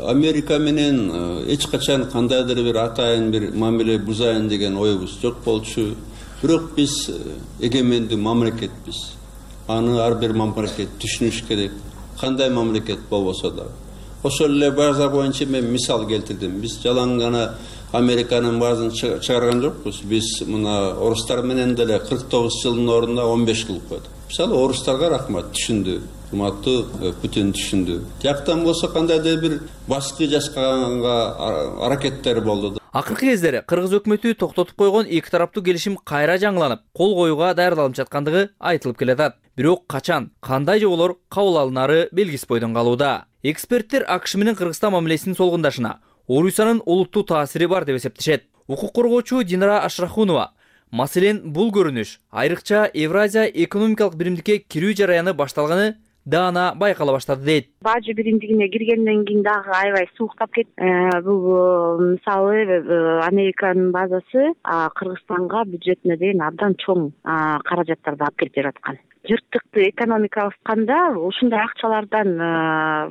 Америка менен эч качан кандайдыр бир атайын бир мамиле бузайын деген оюбуз жок болчу. Бирок биз эгемендүү мамлекетпиз. Аны ар бир мамлекет түшүнүш керек. Кандай мамлекет болбосо да. Ошол эле база боюнча мен мисал келтирдим. Биз жалаң гана Американын базын чыгарган жокпуз. Биз мына орустар менен деле кырк тогуз жылдын ордуна он беш кылып койдук. Мисалы орустарга рахмат, түшүндү. Урматтуу Путин түшүндү. Жактан болсо кандайдыр бир башкы жасаганга аракеттер болду. Акыркы кездери Кыргыз өкмөтү токтотуп койгон эки тараптуу келишим кайра жаңыланып, кол коюуга даярдалып жаткандыгы айтылып келатат. Бирок качан, кандай жоболор кабыл алынары белгисиз бойдон калууда. Эксперттер АКШ менен Кыргызстан мамилесинин солгундашына Орусиянын олуттуу таасири бар деп эсептешет. Укук коргоочу Динара Ашрахунова маселен бул көрүнүш айрыкча Евразия экономикалык биримдикке кирүү жараяны башталганы даана байкала баштады дейт. Бажы биримдигине киргенден кийин дагы аябай сууктап кетти. Бул мисалы Американын базасы Кыргызстанга бюджетине деген абдан чоң каражаттарды алып келип жаткан. Жыртыкты экономика алышканда ушундай акчалардан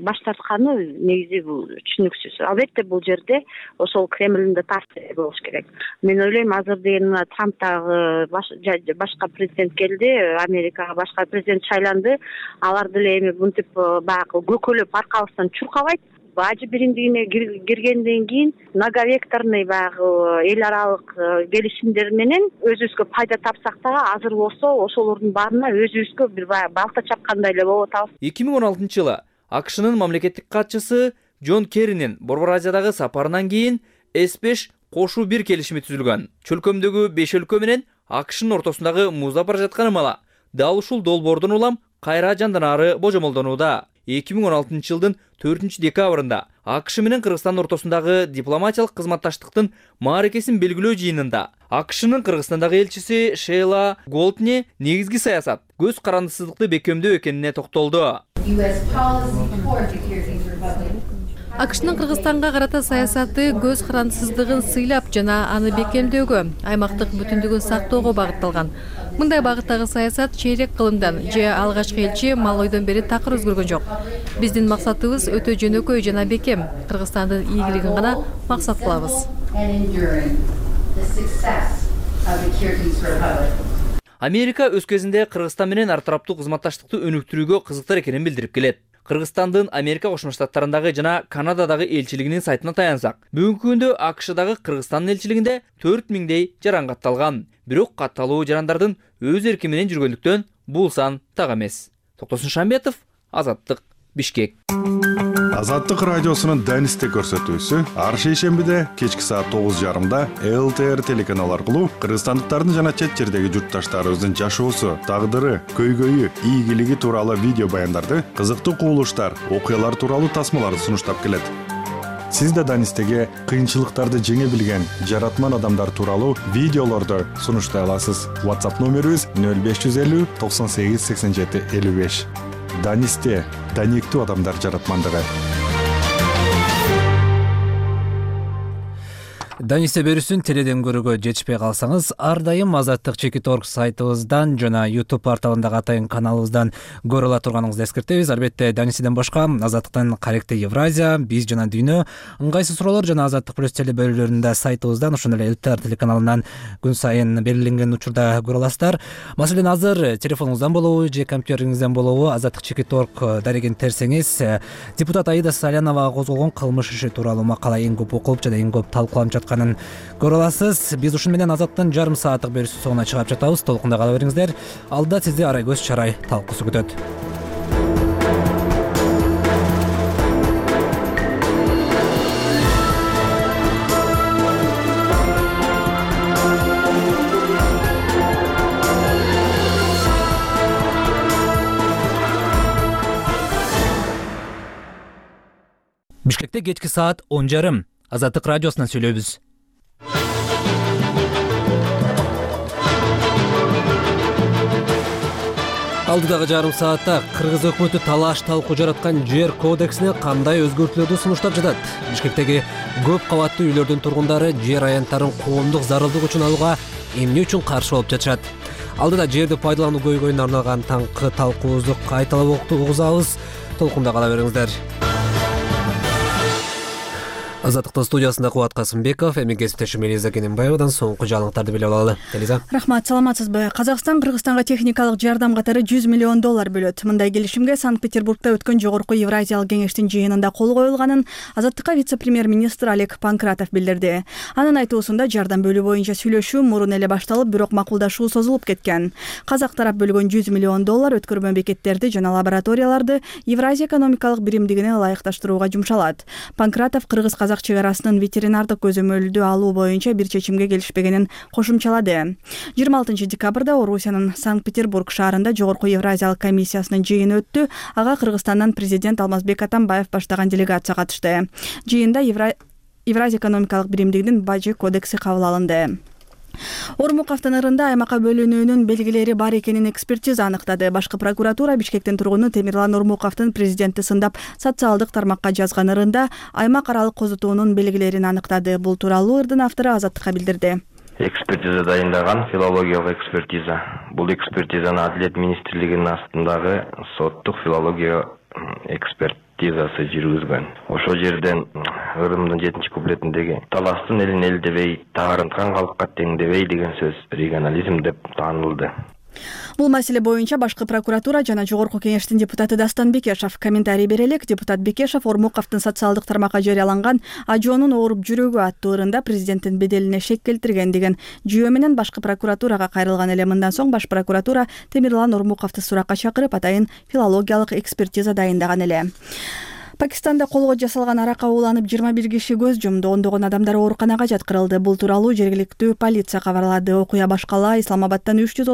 баш тартканы негизи бул түшүнүксүз. Албетте бул жерде ошол Кремлдин да таасири болуш керек. Мен ойлойм, азыр деген Трамптагы башка президент келди, Америкага башка президент шайланды. Алар деле эми мынтип баягы көкөлөп аркабыздан чуркабайт. Бажы биримдигине киргенден кийин многовекторный баягы эл аралык келишимдер менен өзүбүзгө пайда тапсак да, азыр болсо ошолордун баарына өзүбүзгө бир баягы балта чапкандай эле болуп атабыз. эки миң он алтынчы жылы АКШнын мамлекеттик катчысы Джон Керринин Борбор Азиядагы сапарынан кийин эс беш кошуу бир келишими түзүлгөн. Чөлкөмдөгү беш өлкө менен АКШнын ортосундагы муздап бара жаткан ымала дал ушул долбоордун улам кайра жанданаары божомолдонууда. эки миң он алтынчы жылдын төртүнчү декабрында АКШ менен Кыргызстандын ортосундагы дипломатиялык кызматташтыктын мааракесин белгилөө жыйынында АКШнын Кыргызстандагы элчиси Шейла Голдни негизги саясат көз карандысыздыкты бекемдөө экенине токтолду. АКШнын Кыргызстанга карата саясаты көз карандысыздыгын сыйлап жана аны бекемдөөгө, аймактык бүтүндүгүн сактоого багытталган. Мындай багыттагы саясат чейрек кылымдан же алгачкы элчи Малойдон бери такыр өзгөргөн жок. Биздин максатыбыз өтө жөнөкөй жана бекем, Кыргызстандын ийгилигин гана максат кылабыз. Америка өз кезинде Кыргызстан менен ар тараптуу кызматташтыкты өнүктүрүүгө кызыктар экенин билдирип келет. Кыргызстандын Америка Кошмо Штаттарындагы жана Канададагы элчилигинин сайтына таянсак, бүгүнкү күндө АКШдагы Кыргызстандын элчилигинде төрт миңдей жаран катталган. Бирок катталуу жарандардын өз эрки менен жүргөндүктөн бул сан так эмес. Токтосун Шамбетов, Азаттык, Бишкек. Азаттык радиосунун Данисте көрсөтүүсү ар шейшембиде кечки саат тогуз жарымда эл тэ эр телеканалы аркылуу кыргызстандыктардын жана чет жердеги журтташтарыбыздын жашоосу, тагдыры, көйгөйү, ийгилиги тууралуу видео баяндарды, кызыктуу кубулуштар, окуялар тууралуу тасмаларды сунуштап келет. Сиз да Данистеге кыйынчылыктарды жеңе билген жаратман адамдар тууралуу видеолорду сунуштай аласыз. WhatsApp номерибиз нөл беш жүз элүү токсон сегиз сексен жети элүү беш. Данисте даниктүү адамдар жаратмандыгы. Данисте берүүсүн теледен көрүүгө жетишпей калсаңыз, ар дайым Азаттык Чекит орг сайтыбыздан жана YouTube порталындагы атайын каналыбыздан көрө ала турганыңызды эскертебиз. Албетте Данистеден башка Азаттыктын Каректе Евразия, Биз жана Дүйнө, ыңгайсыз суроолор жана Азаттык плюс теле бөлүлөрүндө сайтыбыздан, ошондой эле эл тэ эр телеканалынан күн сайын белгиленген учурда көрө аласыздар. Маселен, азыр телефонуңуздан болобу же компьютериңизден болобу Азаттык Чекит орг дарегин терсеңиз, депутат Аида Салянова козголгон кылмыш иши тууралуу макала эң көп окулуп жана эң көп талкууланып жатканын көрө аласыз. Биз ушун менен Азаттын жарым сааттык берүүсү соңуна чыгып жатабыз. Толкунда кала бериңиздер. Алда сизди Арай көз чарай талкуусу күтөт. Бишкекте кечки саат он жарым. Азаттык радиосунан сүйлөйбүз. Алдыдагы жарым саатта Кыргыз өкмөтү талаш талкуу жараткан жер кодексине кандай өзгөртүүлөрдү сунуштап жатат? Бишкектеги көп кабаттуу үйлөрдүн тургундары жер аянттарын коомдук зарылдык үчүн алууга эмне үчүн каршы болуп жатышат? Алдыда жерди пайдалануу көйгөйүнө арналган таңкы талкуубузду кайталап угузабыз. Толкунда кала бериңиздер. Азаттыктын студиясында Кубат Касымбеков, эми кесиптешим Элиза Кененбаевадан соңку жаңылыктарды билип алалы. Элиза. Рахмат, саламатсызбы? Казакстан Кыргызстанга техникалык жардам катары жүз миллион доллар бөлөт. Мындай келишимге Санкт-Петербургда өткөн жогорку Евразиялык кеңештин жыйынында кол коюлганын Азаттыкка вице-премьер-министр Олег Панкратов билдирди. Анын айтуусунда жардам бөлүү боюнча сүйлөшүү мурун эле башталып, бирок макулдашуу созулуп кеткен. Казак тарап бөлгөн жүз миллион доллар өткөрмө бекеттерди жана лабораторияларды Евразия экономикалык биримдигине ылайыкташтырууга жумшалат. Панкратов Кыргыз казак чек арасынын ветеринардык көзөмөлдү алуу боюнча бир чечимге келишпегенин кошумчалады. жыйырма алтынчы декабрда Орусиянын Санкт-Петербург шаарында жогорку Евразиялык комиссиясынын жыйыны өттү. Ага Кыргызстандан президент Алмазбек Атамбаев баштаган делегация катышты. Жыйында Евразия экономикалык биримдигинин бажы кодекси кабыл алынды. Ормук автонарында аймакка бөлүнүүнүн белгилери бар экенин экспертиза аныктады. Башкы прокуратура Бишкектин тургуну Темирлан Ормуковдун президентти сындап социалдык тармакка жазган ырында аймак аралык козутуунун белгилерин аныктады. Бул тууралуу ырдын автору Азаттыкка билдирди. Экспертиза дайындаган филологиялык экспертиза. Бул экспертизаны Адилет министрлигинин астындагы соттук филология экспертизасы жүргүзгөн. Ошол жерден ырымдын жетинчи куплетиндеги таластын элин эл дебей, таарынткан калкка тең дебей деген сөз регионализм деп таанылды. Бул маселе боюнча башкы прокуратура жана жогорку кеңештин депутаты Дастан Бекешев комментарий бере элек. Депутат Бекешев Ормуковдун социалдык тармакка жарыяланган Ажоонун ооруп жүрөгү аттуу ырында президенттин беделине шек келтирген деген жүйө менен башкы прокуратурага кайрылган эле. Мындан соң баш прокуратура Темирлан Ормуковду суракка чакырып, атайын филологиялык экспертиза дайындаган эле. Пакистанда колго жасалган аракка ууланып жыйырма бир киши көз жумду, ондогон адамдар ооруканага жаткырылды. Бул тууралуу жергиликтүү полиция кабарлады. Окуя башкала Исламабадтан үч жүз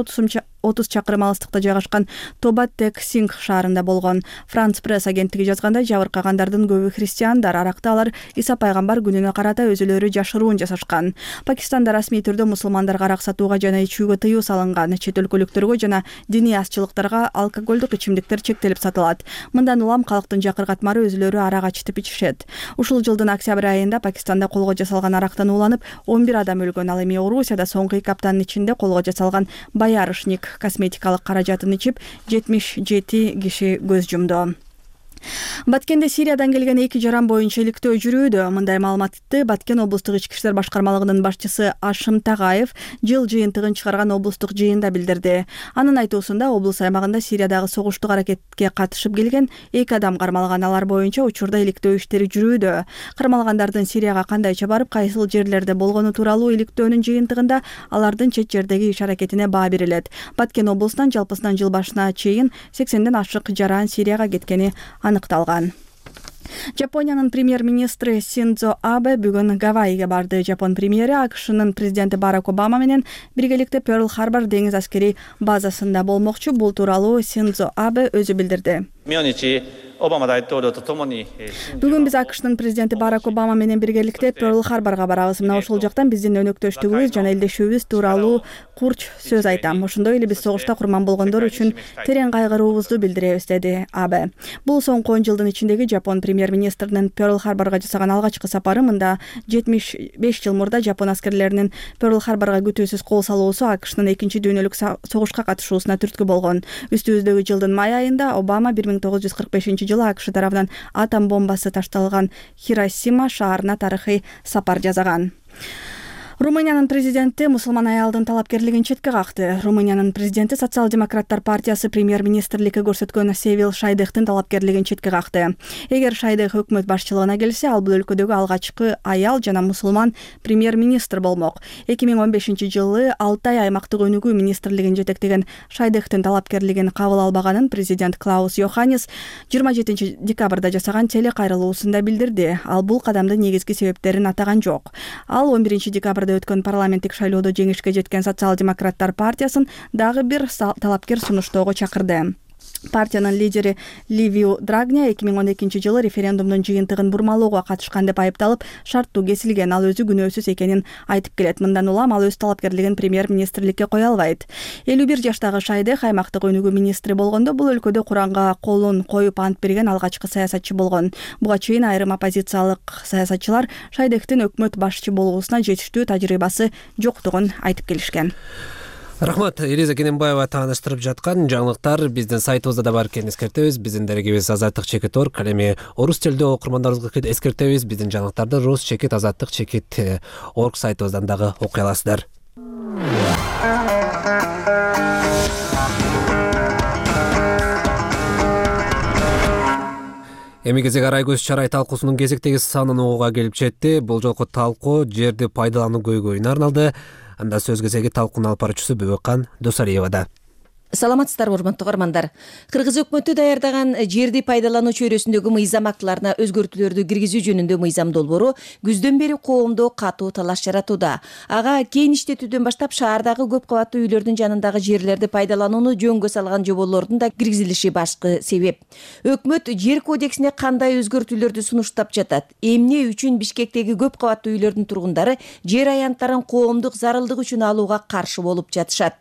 отуз чакырым алыстыкта жайгашкан Тоба Тек Сингх шаарында болгон. Франц пресс агенттиги жазгандай, жабыркагандардын көбү христиандар. Аракта алар Иса пайгамбар күнүнө карата өзүлөрү жашыруун жасашкан. Пакистанда расмий түрдө мусулмандарга арак сатууга жана ичүүгө тыюу салынган. Чет өлкөлүктөргө жана диний азчылыктарга алкоголдук ичимдиктер чектелип сатылат. Мындан улам калктын жакыр катмары өзүлөрү арак ачытып ичишет. Ушул жылдын октябрь айында Пакистанда колго жасалган арактан ууланып он бир адам өлгөн. Ал эми Орусияда соңку эки аптанын ичинде колго жасалган боярышник косметикалык каражатын ичип жетимиш жети киши көз жумду. Баткенде Сириядан келген эки жаран боюнча иликтөө жүрүүдө. Мындай маалыматты Баткен облустук ички иштер башкармалыгынын башчысы Ашым Тагаев жыл жыйынтыгын чыгарган облустук жыйында билдирди. Анын айтуусунда облус аймагында Сириядагы согуштук аракетке катышып келген эки адам кармалган. Алар боюнча учурда иликтөө иштери жүрүүдө. Кармалгандардын Сирияга кандайча барып, кайсыл жерлерде болгону тууралуу иликтөөнүн жыйынтыгында алардын чет жердеги иш аракетине баа берилет. Баткен облусунан жалпысынан жыл башына чейин сексенден ашык жаран Сирияга кеткени аныкталган. Жапониянын премьер-министри Синдзо Абе бүгүн Гавайиге барды. Жапон премьери АКШнын президенти Барак Обама менен биргеликте Перл-Харбор деңиз аскери базасында болмокчу. Бул тууралуу Синдзо Абе өзү билдирди. Бүгүн биз АКШнын президенти Барак Обама менен биргеликте Перл-Харборго барабыз. Мына ошол жактан биздин өнөктөштүгүбүз жана элдешүүбүз тууралуу курч сөз айтам. Ошондой эле биз согушта курман болгондор үчүн терең кайгыруубузду билдиребиз, деди Абе. Бул соңку он жылдын ичиндеги Жапон премьер-министринин Перл-Харборго жасаган алгачкы сапары. Мында жетимиш беш жыл мурда Жапон аскерлеринин Перл-Харборго күтүүсүз кол салуусу АКШнын экинчи дүйнөлүк согушка катышуусуна түрткү болгон. Үстүбүздөгү жылдын май айында Обама бир миң тогуз жүз кырк бешинчи жылы АКШ тарабынан атом бомбасы ташталган Хиросима шаарына тарыхый сапар жасаган. Румыниянын президенти мусулман аялдын талапкерлигин четке какты. Румыниянын президенти Социал-демократтар партиясы премьер-министрликке көрсөткөн Севил Шайдехтин талапкерлигин четке какты. Эгер Шайдех өкмөт башчылыгына келсе, ал бул өлкөдөгү алгачкы аял жана мусулман премьер-министр болмок. эки миң он бешинчи жылы Алтай аймактык өнүгүү министрлигин жетектеген Шайдехтин талапкерлигин кабыл албаганын президент Клаус Йоханнес жыйырма жетинчи декабрда жасаган теле кайрылуусунда билдирди. Ал бул кадамдын негизги себептерин атаган жок. Ал он биринчи декабрда өткөн парламенттик шайлоодо жеңишке жеткен Социал-демократтар партиясын дагы бир талапкер сунуштоого чакырды. Партиянын лидери Ливиу Драгня эки миң он экинчи жылы референдумдун жыйынтыгын бурмалоого катышкан деп айыпталып, шарттуу кесилген. Ал өзү күнөөсүз экенин айтып келет. Мындан улам ал өз талапкерлигин премьер-министрликке кое албайт. элүү бир жаштагы Шайдех аймактык өнүгүү министри болгондо бул өлкөдө Куранга колун коюп ант берген алгачкы саясатчы болгон. Буга чейин айрым оппозициялык саясатчылар Шайдехтин өкмөт башчы болуусуна жетиштүү тажрыйбасы жоктугун айтып келишкен. Рахмат, Элиза Кененбаева тааныштырып жаткан жаңылыктар биздин сайтыбызда да бар экенин эскертебиз. Биздин дарегибиз азаттык чекит орг. Ал эми орус телдүү окурмандарыбызга эскертебиз. Биздин жаңылыктарды рус чекит азаттык чекит орг сайтыбыздан дагы окуй аласыздар. Эми кезек Арай көз чарай талкуусунун кезектеги санын угууга келип жетти. Бул жолку талкуу жерди пайдалануу көйгөйүнө арналды. Анда сөз кезеги талкуунун алып баруучусу Бөбөккан Досалиевада. Саламатсыздарбы, урматтуу угармандар. Кыргыз өкмөтү даярдаган жерди пайдалануу чөйрөсүндөгү мыйзам актыларына өзгөртүүлөрдү киргизүү жөнүндө мыйзам долбоору күздөн бери коомдо катуу талаш жаратууда. Ага кийин иштетүүдөн баштап шаардагы көп кабаттуу үйлөрдүн жанындагы жерлерди пайдаланууну жөнгө салган жоболордун да киргизилиши башкы себеп. Өкмөт жер кодексине кандай өзгөртүүлөрдү сунуштап жатат? Эмне үчүн Бишкектеги көп кабаттуу үйлөрдүн тургундары жер аянттарын коомдук зарылдык үчүн алууга каршы болуп жатышат?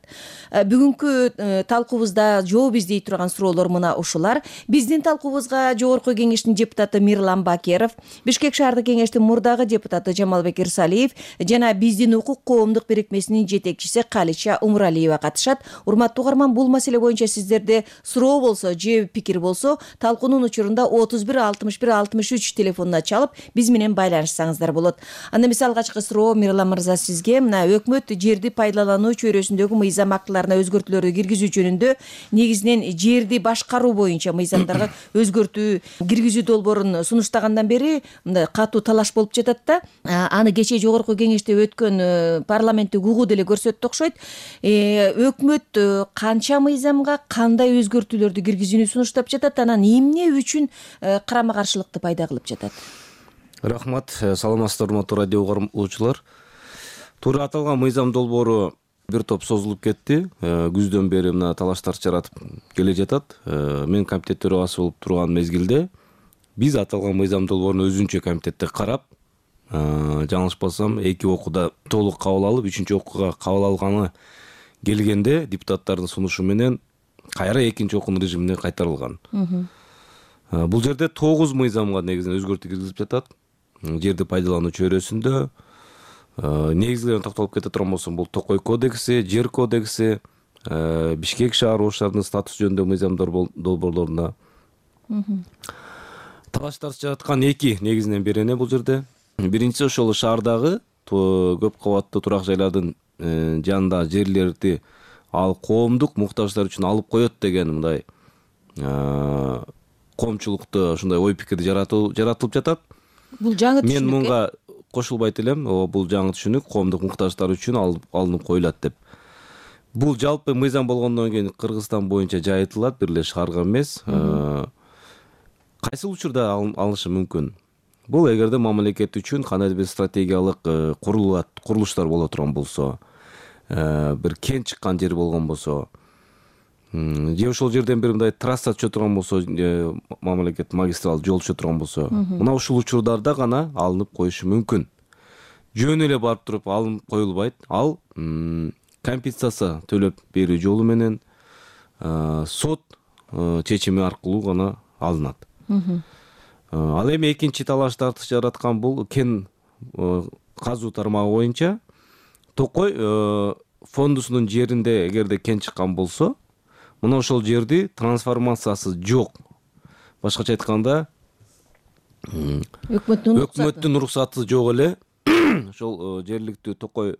Бүгүнкү талкуубузда жооп издей турган суроолор мына ушулар. Биздин талкуубузга Жогорку кеңештин депутаты Мирлан Бакеров, Бишкек шаардык кеңештин мурдагы депутаты Жамалбек Ирсалиев жана биздин укук коомдук бирикмесинин жетекчиси Калича Умуралиева катышат. Урматтуу угарман, бул маселе боюнча сиздерде суроо болсо же пикир болсо, талкуунун учурунда отуз бир алтымыш бир алтымыш үч телефонуна чалып, биз менен байланышсаңыздар болот. Анда эмесе алгачкы суроо Мирлан мырза сизге. Мына өкмөт жерди пайдалануу чөйрөсүндөгү мыйзам актыларына өзгөртүүлөрдү киргизүү жөнүндө негизинен жерди башкаруу боюнча мыйзамдарга өзгөртүү киргизүү долбоорун сунуштагандан бери мындай катуу талаш болуп жатат да. Аны кечээ Жогорку кеңеште өткөн парламенттик угуу деле көрсөттү окшойт. Өкмөт канча мыйзамга кандай өзгөртүүлөрдү киргизүүнү сунуштап жатат, анан эмне үчүн карама каршылыкты пайда кылып жатат? Рахмат, саламатсыздар урматтуу радио угуучулар. Туура аталган мыйзам долбоору бир топ созулуп кетти. Күздөн бери мына талаштар жаратып келе жатат. Мен комитет төрагасы болуп турган мезгилде биз аталган мыйзам долбоорун өзүнчө комитетте карап, жаңылышпасам эки окууда толук кабыл алып, үчүнчү окууга кабыл алганы келгенде депутаттардын сунушу менен кайра экинчи окуунун режимине кайтарылган. Бул жерде тогуз мыйзамга негизинен өзгөртүү киргизилип жатат. Жерди пайдалануу чөйрөсүндө негизгилерин токтолуп кете турган болсом, бул Токой кодекси, жер кодекси, Бишкек шаар ошолордун статусу жөнүндө мыйзамдар долбоорлорунда талаштар жаткан эки негизинен бир эне бул жерде. Биринчиси ошол шаардагы көп кабаттуу турак жайлардын жанында жерлерди ал коомдук муктаждар үчүн алып коет деген мындай коомчулукта ушундай ой пикирди жаратылып жатат. Бул жаңы түшүнүк. Мен мунга кошулбайт элем. Бул жаңы түшүнүк, коомдук муктаждар үчүн алынып коюлат деп. Бул жалпы мыйзам болгондон кийин Кыргызстан боюнча жайытылат, бир эле шаарга эмес. Кайсы учурда алынышы мүмкүн? Бул эгерде мамлекет үчүн кандайдыр бир стратегиялык курулуштар боло турган болсо, бир кен чыккан жер болгон болсо, же ошол жерден бир мындай трасса түшө турган болсо, мамлекет магистрал жол түшө турган болсо, мына ушул учурдарда гана алынып коюшу мүмкүн. Жөн эле барып туруп алынып коюлбайт. Ал компенсация төлөп берүү жолу менен сот чечими аркылуу гана алынат. Ал эми экинчи талаштарды жараткан бул кен казуу тармагы боюнча Токой фондусунун жеринде эгерде кен чыккан болсо, мына ошол жерди трансформациясы жок. Башкача айтканда, өкмөттүн уруксаты жок эле ошол жергиликтүү Токой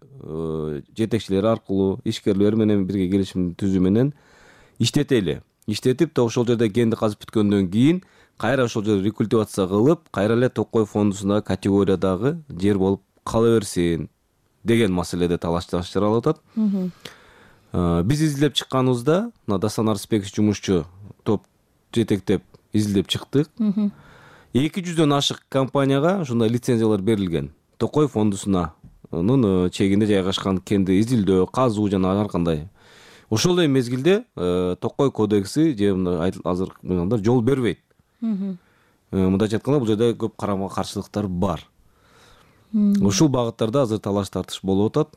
жетекчилери аркылуу ишкерлер менен бирге келишим түзүү менен иштетели. Иштетип, ошол жерде кенди казып бүткөндөн кийин кайра ошол жерди рекультивация кылып, кайра эле Токой фондусундагы категориядагы жер болуп кала берсин деген маселеде талаш жаралып атат. Биз изилдеп чыкканыбызда, мына Дасан Арсбеков жумушчу топ жетектеп изилдеп чыктык. эки жүздөн ашык компанияга ушундай лицензиялар берилген. Токой фондусунун чегинде жайгашкан кенди изилдөө, казуу жана ар кандай ошол эле мезгилде Токой кодекси же мына азыр мындай жол бербейт. Мындайча айтканда бул жерде көп карама каршылыктар бар. Ушул багыттарда азыр талаш тартыш болуп атат.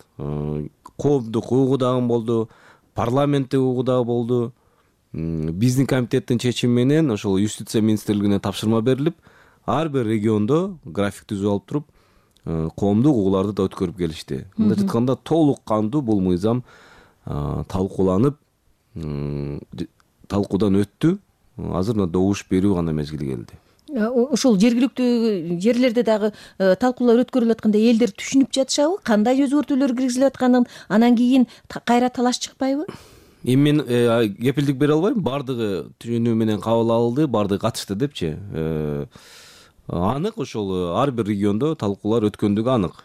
Коомдук угу дагы болду, парламенттик угу дагы болду. Биздин комитеттин чечими менен ошол юстиция министрлигине тапшырма берилип, ар бир региондо график түзүп алып туруп, коомдук угуларды да өткөрүп келишти. Мындайча айтканда толук кандуу бул мыйзам талкууланып, талкуудан өттү. Азыр мына добуш берүү гана мезгили келди. Ушул жергиликтүү жерлерде дагы талкуулар өткөрүлүп атканда элдер түшүнүп жатышабы? Кандай өзгөртүүлөр киргизилип атканын, анан кийин кайра талаш чыкпайбы? Эми мен кепилдик бере албайм. Бардыгы түшүнүү менен кабыл алынды, бардыгы катышты депчи. Анык ошол ар бир региондо талкуулар өткөндүгү анык.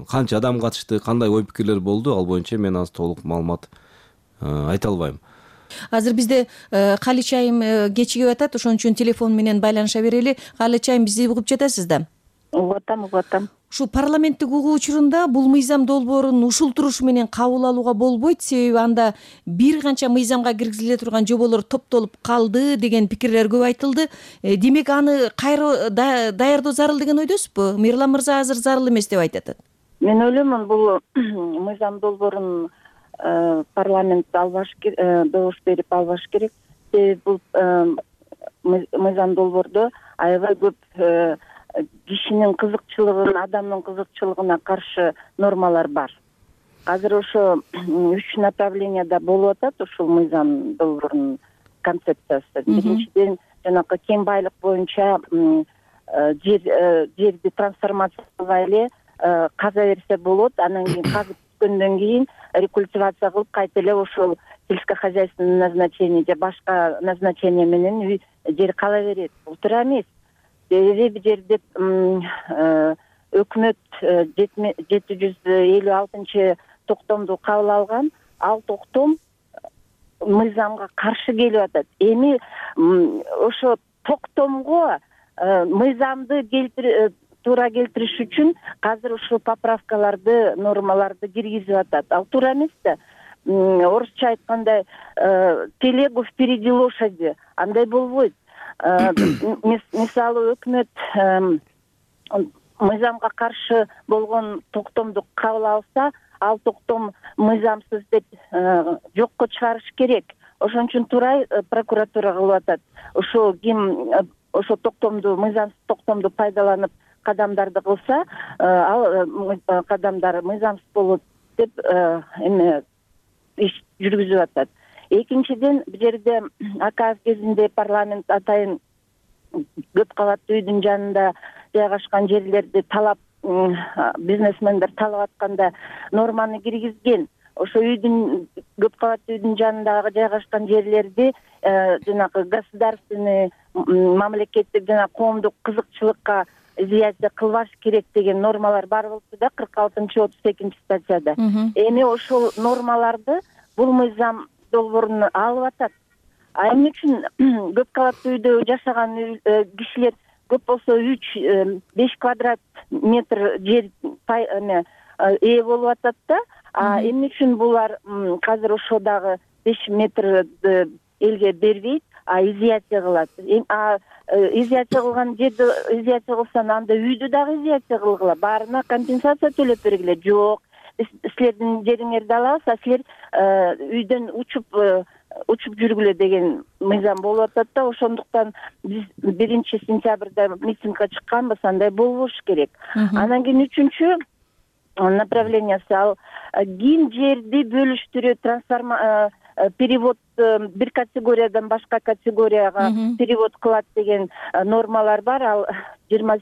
Канча адам катышты, кандай ой пикирлер болду, ал боюнча мен азыр толук маалымат айта албайм. Азыр бизде Калыч айым кечигип атат, ошон үчүн телефон менен байланыша берели. Калыч айым, бизди угуп жатасыз да? Угуп атам, угуп атам. Ушу парламенттик угуу учурунда бул мыйзам долбоорун ушул турушу менен кабыл алууга болбойт, себеби анда бир канча мыйзамга киргизиле турган жоболор топтолуп калды деген пикирлер көп айтылды. Демек аны кайра даярдоо зарыл деген ойдосузбу? Мирлан мырза азыр зарыл эмес деп айтып атат. Мен ойлоймун, бул мыйзам долбоорун парламент албаш керек, добуш берип албаш керек. Себеби бул мыйзам долбоордо аябай көп кишинин кызыкчылыгын, адамдын кызыкчылыгына каршы нормалар бар. Азыр ошо үч направленияда болуп атат ушул мыйзам долбоорунун концепциясы. Биринчиден, жанакы кен байлык боюнча жер жерди трансформациялай эле каза берсе болот, анан кийин казып түшкөндөн кийин рекультивация кылып кайта эле ошол сельскохозяйственный назначение же башка назначение менен жер кала берет. Бул туура эмес. Себеби жерде өкмөт жети жүз элүү алтынчы токтомду кабыл алган, ал токтом мыйзамга каршы келип атат. Эми ошо токтомго мыйзамды туура келтириш үчүн азыр ушул поправкаларды, нормаларды киргизип атат. Ал туура эмес да. Орусча айтканда телегу впереди лошади, андай болбойт. Мисалы өкмөт мыйзамга каршы болгон токтомду кабыл алса, ал токтом мыйзамсыз деп жокко чыгарыш керек. Ошон үчүн туура прокуратура кылып атат. Ошо ким ошо токтомду, мыйзамсыз токтомду пайдаланып кадамдарды кылса, ал кадамдар мыйзамсыз болот деп эме иш жүргүзүп атат. Экинчиден, бул жерде аказ кезинде парламент атайын көп кабаттуу үйдүн жанында жайгашкан жерлерди талап, бизнесмендер талап атканда норманы киргизген. Ошо үйдүн көп кабаттуу үйдүн жанындагы жайгашкан жерлерди жанагы государственный, мамлекеттик жана коомдук кызыкчылыкка изоляция кылбаш керек деген нормалар бар болчу да, кырк алтынчы отуз экинчи статьяда. Эми ошол нормаларды бул мыйзам долбоорун алып атат. А эмне үчүн көп кабаттуу үйдө жашаган кишилер көп болсо үч беш квадрат метр жер ээ болуп атат да. А эмне үчүн булар азыр ошо дагы беш метрди элге бербейт, а изоляция кылат. А изоляция кылган жерди изоляция кылсаң, анда үйдү дагы изоляция кылгыла, баарына компенсация төлөп бергиле. Жок, силердин жериңерди алабыз, а силер үйдөн учуп учуп жүргүлө деген мыйзам болуп атат да. Ошондуктан биз биринчи сентябрда митингге чыкканбыз, андай болбош керек. Анан кийин үчүнчү направлениясы ал ким жерди бөлүштүрүү, трансформа перевод бир категориядан башка категорияга перевод кылат деген нормалар бар. Ал жыйырма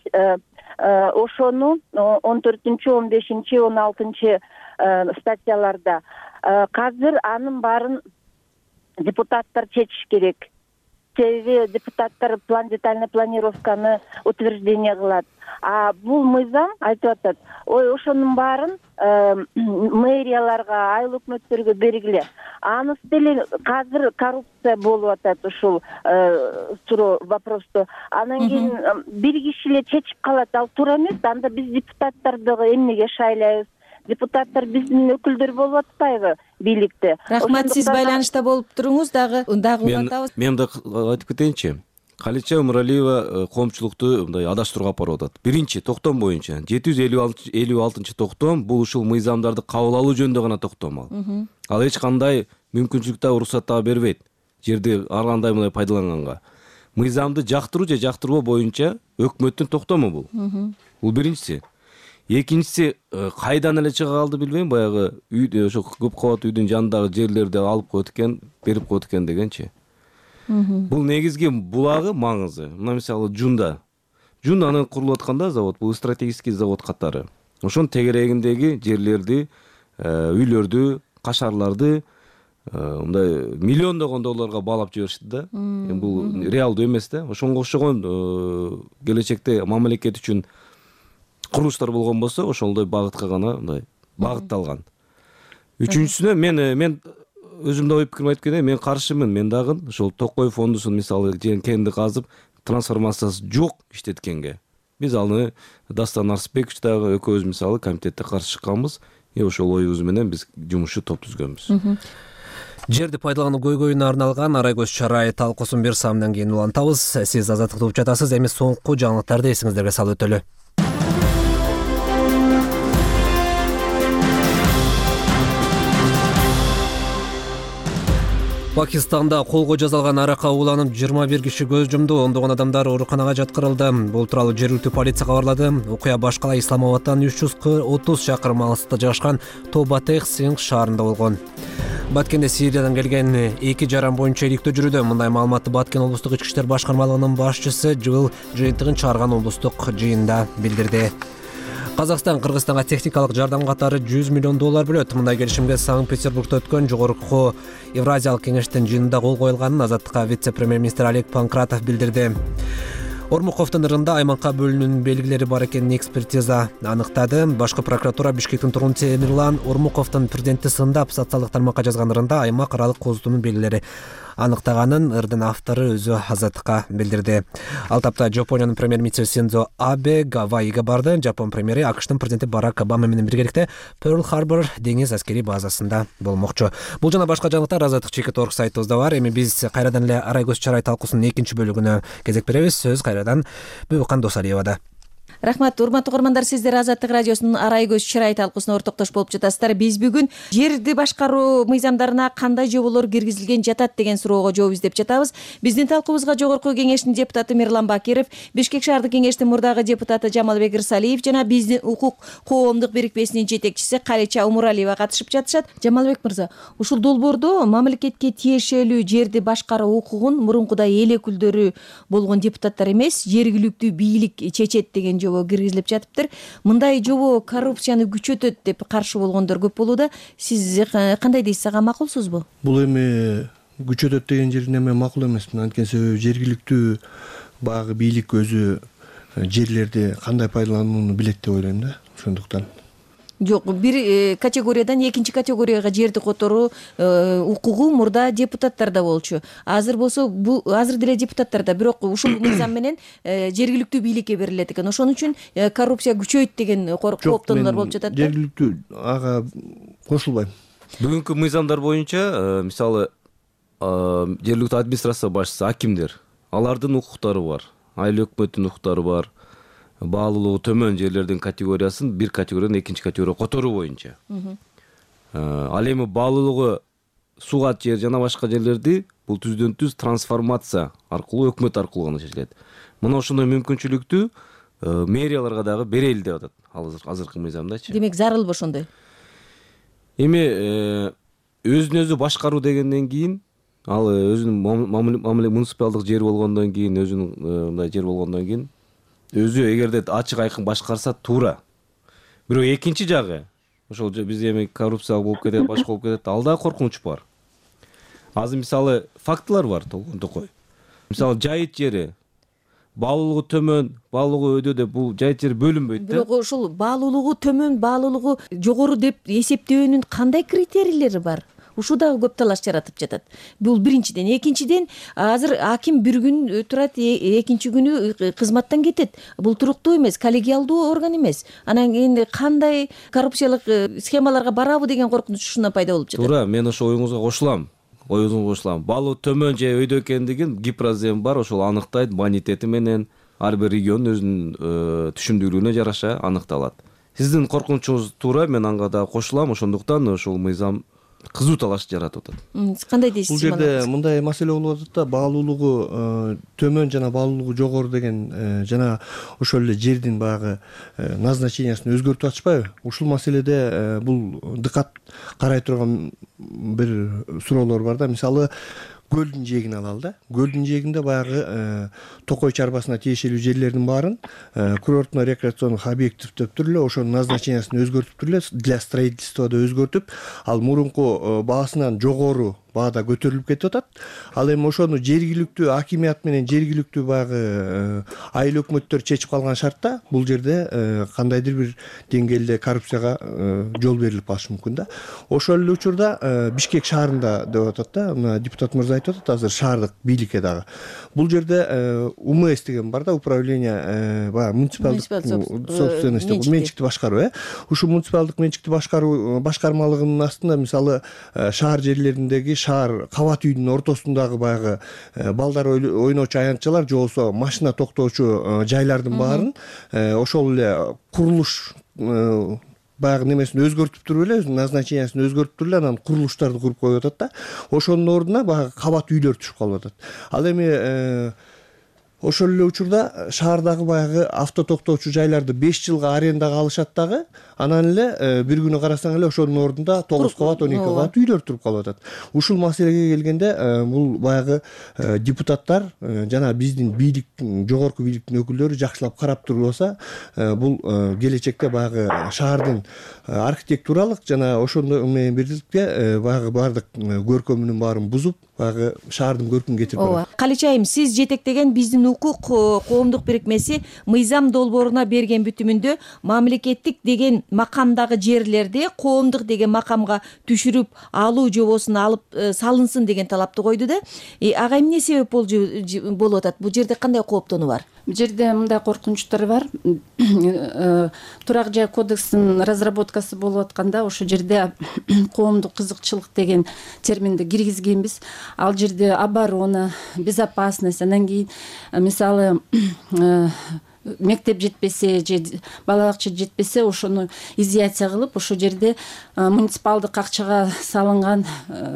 ошону он төртүнчү, он бешинчи, он алтынчы статьяларда азыр анын баарын депутаттар чечиш керек. Себеби депутаттар план детальный планировканы утверждение кылат. А бул мыйзам айтып атат, ой, ошонун баарын мэрияларга, айыл өкмөттөргө бергиле. Анысы деле азыр коррупция болуп атат ушул суроо вопросту. Анан кийин бир киши эле чечип калат, ал туура эмес. Анда биз депутаттарды эмнеге шайлайбыз? депутаттар биздин өкүлдөр болуп атпайбы бийликте. Рахмат, сиз байланышта болуп туруңуз, дагы дагы улантабыз. Мен да айтып кетейинчи. Калича Умуралиева коомчулукту мындай адаштырууга алып барып атат. Биринчи токтом боюнча жети жүз элүү алтынчы токтом бул ушул мыйзамдарды кабыл алуу жөнүндө гана токтом ал. Ал эч кандай мүмкүнчүлүк да уруксат да бербейт жерди ар кандай мындай пайдаланганга. Мыйзамды жактыруу же жактырбоо боюнча өкмөттүн токтому бул. Бул биринчиси. Экинчиси, кайдан эле чыга калды билбейм, баягы үй ошо көп кабат үйдүн жанындагы жерлерди алып коет экен, берип коет экен дегенчи. Бул негизги булагы маңызы. Мына мисалы Жунда. Жун анын курулуп атканда завод, бул стратегический завод катары. Ошонун тегерегиндеги жерлерди, үйлөрдү, кашарларды мындай миллиондогон долларга баалап жиберишти да. Бул реалдуу эмес да. Ошонго окшогон келечекте мамлекет үчүн курулуштар болгон болсо, ошолдой багытка гана мындай багытталган. Үчүнчүсүнө мен мен өзүмдө ой пикирим айтып кетейин, мен каршымын. Мен дагы ошол Токой фондусун мисалы кенди казып, трансформациясы жок иштеткенге. Биз аны Дастан Арсбекович дагы экөөбүз мисалы комитетте каршы чыкканбыз. И ошол оюбуз менен биз жумушчу топ түзгөнбүз. Жерди пайдалануу көйгөйүнө арналган Арай көз чарай талкуусун бир саамдан кийин улантабыз. Сиз Азаттыкты угуп жатасыз. Эми соңку жаңылыктарды эсиңиздерге салып өтөлү. Пакистанда колго жазалган аракка уланып жыйырма бир киши көз жумду, ондогон адамдар ооруканага жаткырылды. Бул тууралуу жергиликтүү полиция кабарлады. Окуя башкала Исламабадтан үч жүз отуз чакырым алыста жайгашкан Тобатех Синг шаарында болгон. Баткенде Сириядан келген эки жаран боюнча иликтөө жүрүүдө. Мындай маалыматты Баткен облустук ички иштер башкармалыгынын башчысы жыл жыйынтыгын чыгарган облустук жыйында билдирди. Казакстан Кыргызстанга техникалык жардам катары жүз миллион доллар бөлөт. Мындай келишимге Санкт-Петербургда өткөн жогорку Евразиялык кеңештин жыйынында кол коюлганын Азаттыкка вице-премьер-министр Олег Панкратов билдирди. Ормуковдун ырында аймакка бөлүнүүнүн белгилери бар экенин экспертиза аныктады. Башкы прокуратура Бишкектин тургуну Темирлан Ормуковдун президентти сындап социалдык тармакка жазган ырында аймак аралык кооздугунун белгилери аныктаганын ырдын автору өзү Азаттыкка билдирди. Ал тапта Жапониянын премьер-министри Синдзо Абе Гавайиге барды. Жапон премьери АКШтын президенти Барак Обама менен биргеликте Перл-Харбор деңиз аскери базасында болмокчу. Бул жана башка жаңылыктар Азаттык чекит орг сайтыбызда бар. Эми биз кайрадан эле Арай көз чарай талкуусунун экинчи бөлүгүнө кезек беребиз. Сөз кайрадан Бүбүкан Досалиевада. Рахмат, урматтуу угармандар, сиздер Азаттык радиосунун Арай көз чарай талкуусуна ортоктош болуп жатасыздар. Биз бүгүн жерди башкаруу мыйзамдарына кандай жоболор киргизилген жатат деген суроого жооп издеп жатабыз. Биздин талкуубузга жогорку кеңештин депутаты Мирлан Бакиров, Бишкек шаардык кеңештин мурдагы депутаты Жамалбек Ирсалиев жана биздин укук коомдук бирикмесинин жетекчиси Калича Умуралиева катышып жатышат. Жамалбек мырза, ушул долбоордо мамлекетке тиешелүү жерди башкаруу укугун мурункудай эл өкүлдөрү болгон депутаттар эмес, жергиликтүү бийлик чечет деген жобо киргизилип жатыптыр. Мындай жобо коррупцияны күчөтөт деп каршы болгондор көп болууда. Сиз кандай дейсиз, ага макулсузбу? Бул эми күчөтөт деген жердин эми макул эмес. Анткени себеби жергиликтүү баягы бийлик өзү жерлерди кандай пайдаланууну билет деп ойлойм да. Ошондуктан жок, бир категориядан экинчи категорияга жерди которуу укугу мурда депутаттарда болчу. Азыр болсо бул азыр деле депутаттарда, бирок ушул мыйзам менен жергиликтүү бийликке берилет экен. Ошон үчүн коррупция күчөйт деген кооптонуулар болуп жатат да. Жергиликтүү ага кошулбайм. Бүгүнкү мыйзамдар боюнча мисалы жергиликтүү администрация башчысы, акимдер, алардын укуктары бар, айыл өкмөттүн укуктары бар. Баалуулугу төмөн жерлердин категориясын бир категориядан экинчи категорияга которуу боюнча. Ал эми баалуулугу сугат жер жана башка жерлерди бул түздөн түз трансформация аркылуу өкмөт аркылуу гана чечилет. Мына ошондой мүмкүнчүлүктү мэрияларга дагы берели деп атат азыркы мыйзамдачы. Демек зарыл ошондой. Эми өзүн өзү башкаруу дегенден кийин ал өзүнүн муниципалдык жер болгондон кийин, өзүнүн мындай жер болгондон кийин өзү эгерде ачык айкын башкарса туура. Бирок экинчи жагы ошол биз эми коррупция болуп кетет, башка болуп кетет, ал да коркунуч бар. Азыр мисалы фактылар бар Токой. Мисалы жайыт жери баалуулугу төмөн, баалуулугу өйдө деп бул жайыт жери бөлүнбөйт да. Бирок ушул баалуулугу төмөн, баалуулугу жогору деп эсептөөнүн кандай критерийлери бар? ушул дагы көп талаш жаратып жатат. Бул биринчиден. Экинчиден, азыр аким бир күн турат, экинчи күнү кызматтан кетет. Бул туруктуу эмес, коллегиалдуу орган эмес. Анан кийин кандай коррупциялык схемаларга барабы деген коркунуч ушундан пайда болуп жатат. Туура, мен ошол оюңузга кошулам. Оюңузга кошулам. Балуу төмөн же өйдө экендигин Гипрозем бар, ошол аныктайт, бонитети менен ар бир регион өзүнүн түшүндүрүүнө жараша аныкталат. Сиздин коркунучуңуз туура, мен анга да кошулам. Ошондуктан ошол мыйзам кызуу талаш жаратып атат. Кандай дейсиз? Бул жерде мындай маселе болуп атат да, баалуулугу төмөн жана баалуулугу жогору деген жана ошол эле жердин баягы назначениясын өзгөртүп атышпайбы? Ушул маселеде бул дыкат карай турган бир суроолор бар да. Мисалы, көлдүн жээгин алалы да. Көлдүн жээгинде баягы Токой чарбасына тиешелүү жерлердин баарын курортно рекреациондук объект деп туруп эле ошонун назначениясын өзгөртүп туруп эле для строительства да өзгөртүп, ал мурунку баасынан жогору баада көтөрүлүп кетип атат. Ал эми ошону жергиликтүү акимият менен жергиликтүү баягы айыл өкмөттөр чечип калган шартта бул жерде кандайдыр бир деңгээлде коррупцияга жол берилип калышы мүмкүн да. Ошол эле учурда Бишкек шаарында деп атат да, мына депутат мырза айтып атат азыр шаардык бийликке дагы. Бул жерде УМС деген бар да, управление баягы муниципалдык собственность, менчикти башкаруу, э. Ушул муниципалдык менчикти башкаруу башкармалыгынын астында мисалы шаар жерлериндеги шаар кабат үйдүн ортосундагы баягы балдар ойночу аянтчалар же болбосо машина токтоочу жайлардын баарын ошол эле курулуш баягы немесин өзгөртүп туруп эле, өзүнүн назначениясын өзгөртүп туруп эле анан курулуштарды куруп коюп атат да. Ошонун ордуна баягы кабат үйлөр түшүп калып атат. Ал эми ошол эле учурда шаардагы баягы авто токтоочу жайларды беш жылга арендага алышат дагы, анан эле бир күнү карасаң эле ошонун ордунда тогуз кабат, он эки кабат үйлөр туруп калып атат. Ушул маселеге келгенде бул баягы депутаттар жана биздин бийлик, жогорку бийликтин өкүлдөрү жакшылап карап турбаса, бул келечекте баягы шаардын архитектуралык жана ошондой менен бирдикте баягы баардык көркөмүнүн баарын бузуп, баягы шаардын көркүн кетирип барат. Калич айым, сиз жетектеген биздин укук коомдук бирикмеси мыйзам долбооруна берген бүтүмүндө мамлекеттик деген макамдагы жерлерди коомдук деген макамга түшүрүп алуу жобосун алып салынсын деген талапты койду да. Ага эмне себеп болуп атат? Бул жерде кандай кооптонуу бар? Бул жерде мындай коркунучтар бар. Турак жай кодексинин разработкасы болуп атканда ошол жерде коомдук кызыкчылык деген терминди киргизгенбиз. Ал жерде оборона, безопасность, анан кийин мисалы мектеп жетпесе же бала бакча жетпесе ошону изъятие кылып ошол жерде муниципалдык акчага салынган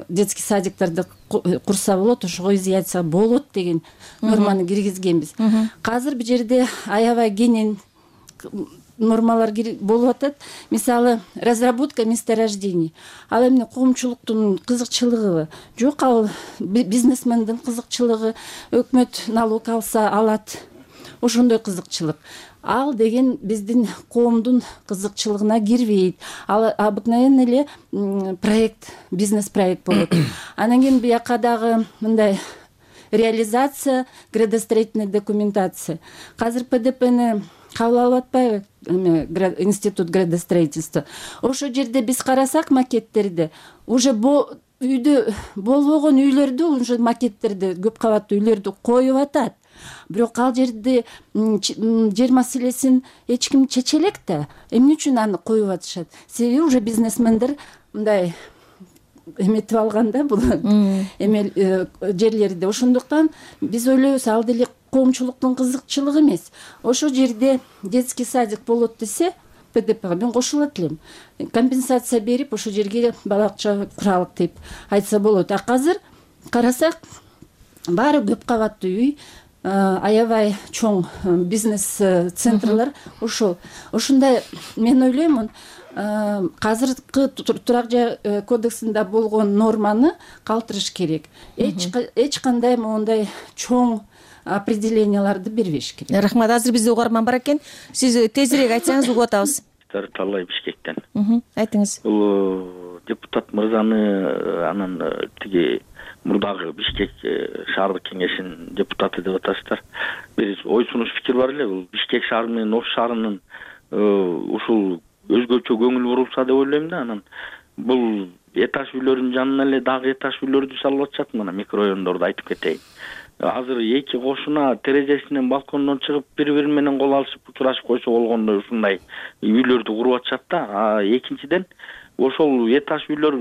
детский садиктарды курса болот, ошого изъятие болот деген норманы киргизгенбиз. Азыр бул жерде аябай кенен нормалар болуп атат. Мисалы, разработка месторождений. Ал эми коомчулуктун кызыкчылыгыбы? Жок, ал бизнесмендин кызыкчылыгы. Өкмөт налог алса алат. Ошондой кызыкчылык. Ал деген биздин коомдун кызыкчылыгына кирбейт. Ал обыкновенно эле проект, бизнес проект болот. Анан кийин бияка дагы мындай реализация, градостроительная документация. Азыр ПДПны кабыл алып атпайбы институт градостроительства? Ошол жерде биз карасак макеттерди, уже үйдө болбогон үйлөрдү, уже макеттерди, көп кабаттуу үйлөрдү коюп атат. Бирок ал жерде жер маселесин эч ким чече элек да. Эмне үчүн аны коюп атышат? Себеби уже бизнесмендер мындай эметип алганда бул эме жерлерди. Ошондуктан биз ойлойбуз, ал деле коомчулуктун кызыкчылыгы эмес. Ошол жерде детский садик болот десе, ПДПга мен кошулат элем. Компенсация берип, ошол жерге бала бакча куралык деп айтса болот. А азыр карасак, баары көп кабаттуу үй, аябай чоң бизнес центрлар ошол. Ошондой мен ойлоймун, азыркы турак жай кодексинде болгон норманы калтырыш керек. Эч кандай моундай чоң определенияларды бербеш керек. Рахмат. Азыр бизде угарман бар экен. Сиз тезирээк айтсаңыз угуп атабыз. Талай Бишкектен. Айтыңыз. Бул депутат мырзаны анан тиги мурдагы Бишкек шаардык кеңешинин депутаты деп аташты. Бир ой сунуш пикир бар эле. Бул Бишкек шаары менен Ош шаарынын ушул өзгөчө көңүл бурулса деп ойлойм да. Анан бул этаж үйлөрүнүн жанына эле дагы этаж үйлөрдү салып атышат. Мына микрорайондорду айтып кетейин. Азыр эки кошуна терезесинен балкондон чыгып бири бири менен кол алышып учурашып койсо болгондой ушундай үйлөрдү куруп атышат да. Экинчиден ошол этаж үйлөр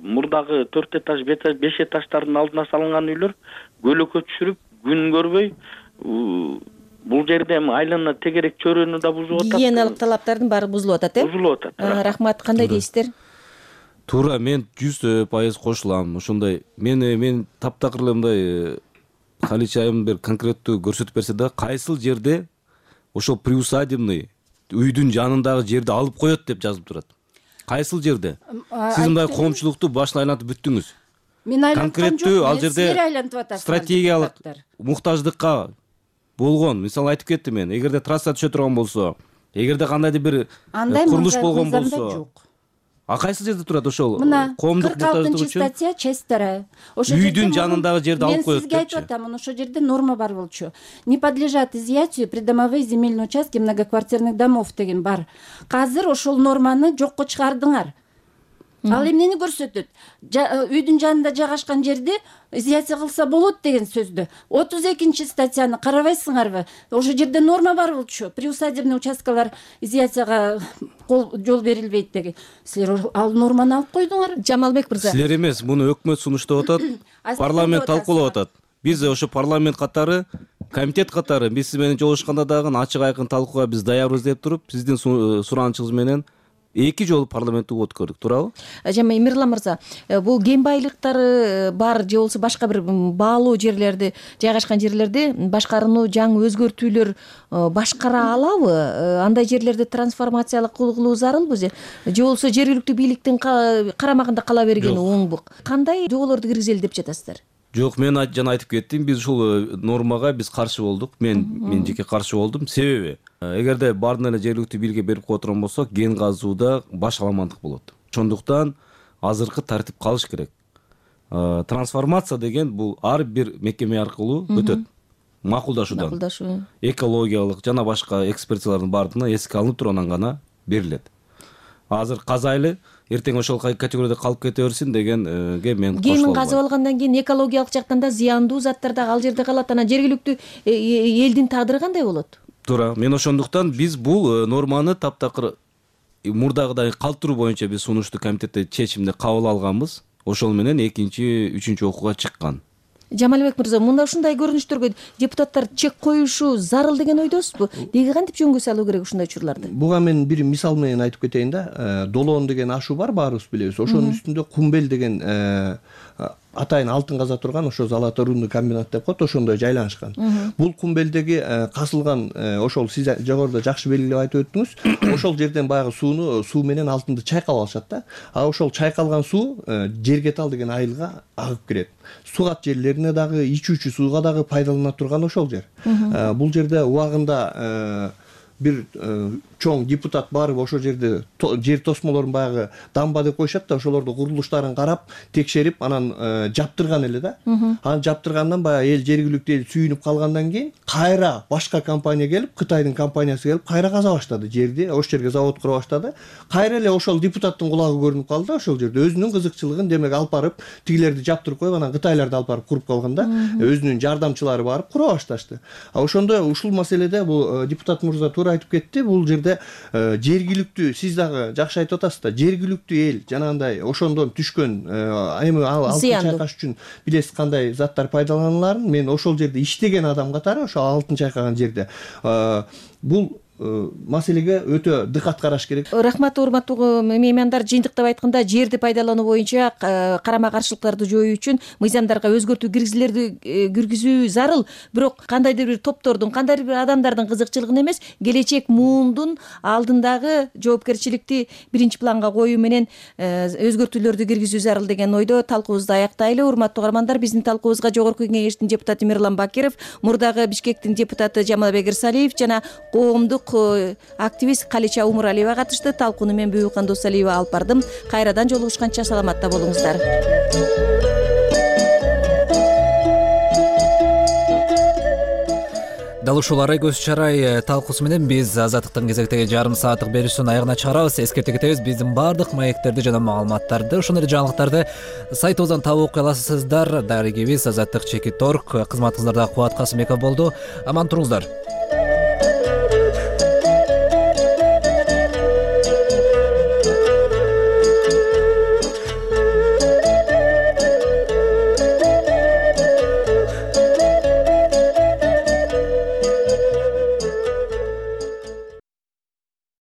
мурдагы төрт этаж беш этаждардын алдына салынган үйлөр көлөкө түшүрүп күн көрбөй бул жерде эми айлана тегерек чөйрөнү да бузуп атат. Гигиеналык талаптардын баары бузулуп атат, э? Бузулуп атат. Рахмат, кандай дейсиздер? Туура, мен жүз пайыз кошулам. Ошондой мен мен таптакыр эле мындай Халич айым бир конкреттүү көрсөтүп берсе да, кайсыл жерде ошол приусадебный үйдүн жанындагы жерди алып коет деп жазылып турат. Кайсыл жерде? Сиз мындай коомчулукту башына айлантып бүттүңүз. Мен айланткан жок, ал жерде стратегиялык муктаждыкка болгон, мисалы айтып кеттим мен, эгерде трасса түшө турган болсо, эгерде кандайдыр бир курулуш болгон болсо, а кайсы жерде турат ошол коомдук муктаждык үчүн? Статья, часть вторая. Үйдүн жанындагы жерди алып коет депчи. Мен сизге айтып атам, ошол жерде норма бар болчу. Не подлежат изъятию придомовые земельные участки многоквартирных домов деген бар. Азыр ошол норманы жокко чыгардыңар. Ал эмнени көрсөтөт? Үйдүн жанында жайгашкан жерди изъятия кылса болот деген сөздү. отуз экинчи статьяны карабайсыңарбы? Ошол жерде норма бар болчу. Приусадебный участкалар изъятияга жол берилбейт деген. Силер ал норманы алып койдуңар. Жамалбек мырза. Силер эмес, муну өкмөт сунуштап атат, парламент талкуулап атат. Биз ошо парламент катары, комитет катары биз сиз менен жолугушканда дагы ачык айкын талкууга биз даярбыз деп туруп, сиздин суранычыңыз менен эки жолу парламентте өткөрдүк, туурабы? Жана Эмирлан мырза, бул кен байлыктары бар же болбосо башка бир баалуу жерлерди, жайгашкан жерлерди башкарууну жаңы өзгөртүүлөр башкара алабы? Андай жерлерди трансформациялык кылуу зарылбы же болбосо жергиликтүү бийликтин карамагында кала бергени оңбу? Кандай жоболорду киргизели деп жатасыздар? Жок, мен жана айтып кеттим, биз ушул нормага биз каршы болдук. Мен мен жеке каршы болдум. Себеби, эгерде баардыгын эле жергиликтүү бийликке берип кое турган болсок, кен казууда баш аламандык болот. Ошондуктан азыркы тартип калыш керек. Трансформация деген бул ар бир мекеме аркылуу өтөт. Макулдашуудан. Макулдашуу. Экологиялык жана башка экспертизалардын баардыгына эске алынып туруп анан гана берилет. Азыр казайлы эртең ошол категорияда калып кете берсин дегенге мен кошулам. Кенин казып алгандан кийин экологиялык жактан да зыяндуу заттар да ал жерде калат. Анан жергиликтүү элдин тагдыры кандай болот? Туура. Мен ошондуктан биз бул норманы таптакыр мурдагыдай калтыруу боюнча биз сунушту комитетте чечимди кабыл алганбыз. Ошол менен экинчи, үчүнчү окууга чыккан. Жамалбек мырза, мында ушундай көрүнүштөргө депутаттар чек коюшу зарыл деген ойдосузбу? Деги кантип жөнгө салуу керек ушундай учурларды? Буга мен бир мисал менен айтып кетейин да. Долоон деген ашуу бар, баарыбыз билебиз. Ошонун үстүндө Кумбел деген атайын алтын каза турган ошо золотой рудный комбинат деп коет, ошондой жайланышкан. Бул Кумбелдеги казылган ошол сиз жогоруда жакшы белгилеп айтып өттүңүз. Ошол жерден баягы сууну, суу менен алтынды чайкап алышат да. А ошол чайкалган суу Жергетал деген айылга агып кирет. Сугат жерлерине дагы, ичүүчү сууга дагы пайдалана турган ошол жер. Бул жерде убагында бир чоң депутат барып ошол жерде жер тосмолорун баягы дамба деп коюшат да, ошолорду курулуштарын карап, текшерип, анан жаптырган эле да. Анан жаптыргандан баягы эл жергиликтүү эл сүйүнүп калгандан кийин кайра башка компания келип, Кытайдын компаниясы келип, кайра каза баштады жерди, ошол жерге завод кура баштады. Кайра эле ошол депутаттын кулагы көрүнүп калды ошол жерде. Өзүнүн кызыкчылыгын демек алып барып, тигилерди жаптырып коюп, анан Кытайларды алып барып куруп калган да. Өзүнүн жардамчылары барып кура башташты. А ошондо ушул маселеде бул депутат мырза туура айтып кетти. Бул жерде жергиликтүү, сиз дагы жакшы айтып атасыз да, жергиликтүү эл жанагындай ошондон түшкөн эми ал алтын чайкаш үчүн билесиз кандай заттар пайдаланыларын, мен ошол жерде иштеген адам катары ошо алтын чайкаган жерде бул маселеге өтө дыкат караш керек. Рахмат, урматтуу меймандар. Жыйынтыктап айтканда, жерди пайдалануу боюнча карама каршылыктарды жоюу үчүн мыйзамдарга өзгөртүү киргизилерди киргизүү зарыл. Бирок кандайдыр бир топтордун, кандайдыр бир адамдардын кызыкчылыгын эмес, келечек муундун алдындагы жоопкерчиликти биринчи планга коюу менен өзгөртүүлөрдү киргизүү зарыл деген ойдо талкуубузду аяктайлы. Урматтуу угармандар, биздин талкуубузга Жогорку Кеңештин депутаты Эмирлан Бакиров, мурдагы Бишкектин депутаты Жамалбек Ирсалиев жана коомдук активист Калича Умуралиева катышты. Талкууну мен Бүйүкан Досалиева алып бардым. Кайрадан жолугушканча саламатта болуңуздар. дал ушул арай көз чарай талкуусу менен биз Азаттыктын кезектеги жарым сааттык берүүсүнүн аягына чыгарабыз. Эскерте кетебиз, биздин баардык маектерди жана маалыматтарды, ошондой эле жаңылыктарды сайтыбыздан таап окуй аласыздар. Дарегибиз Азаттык чекит точка орг. Кызматыңыздарда Кубат Касымбеков болду. Аман туруңуздар.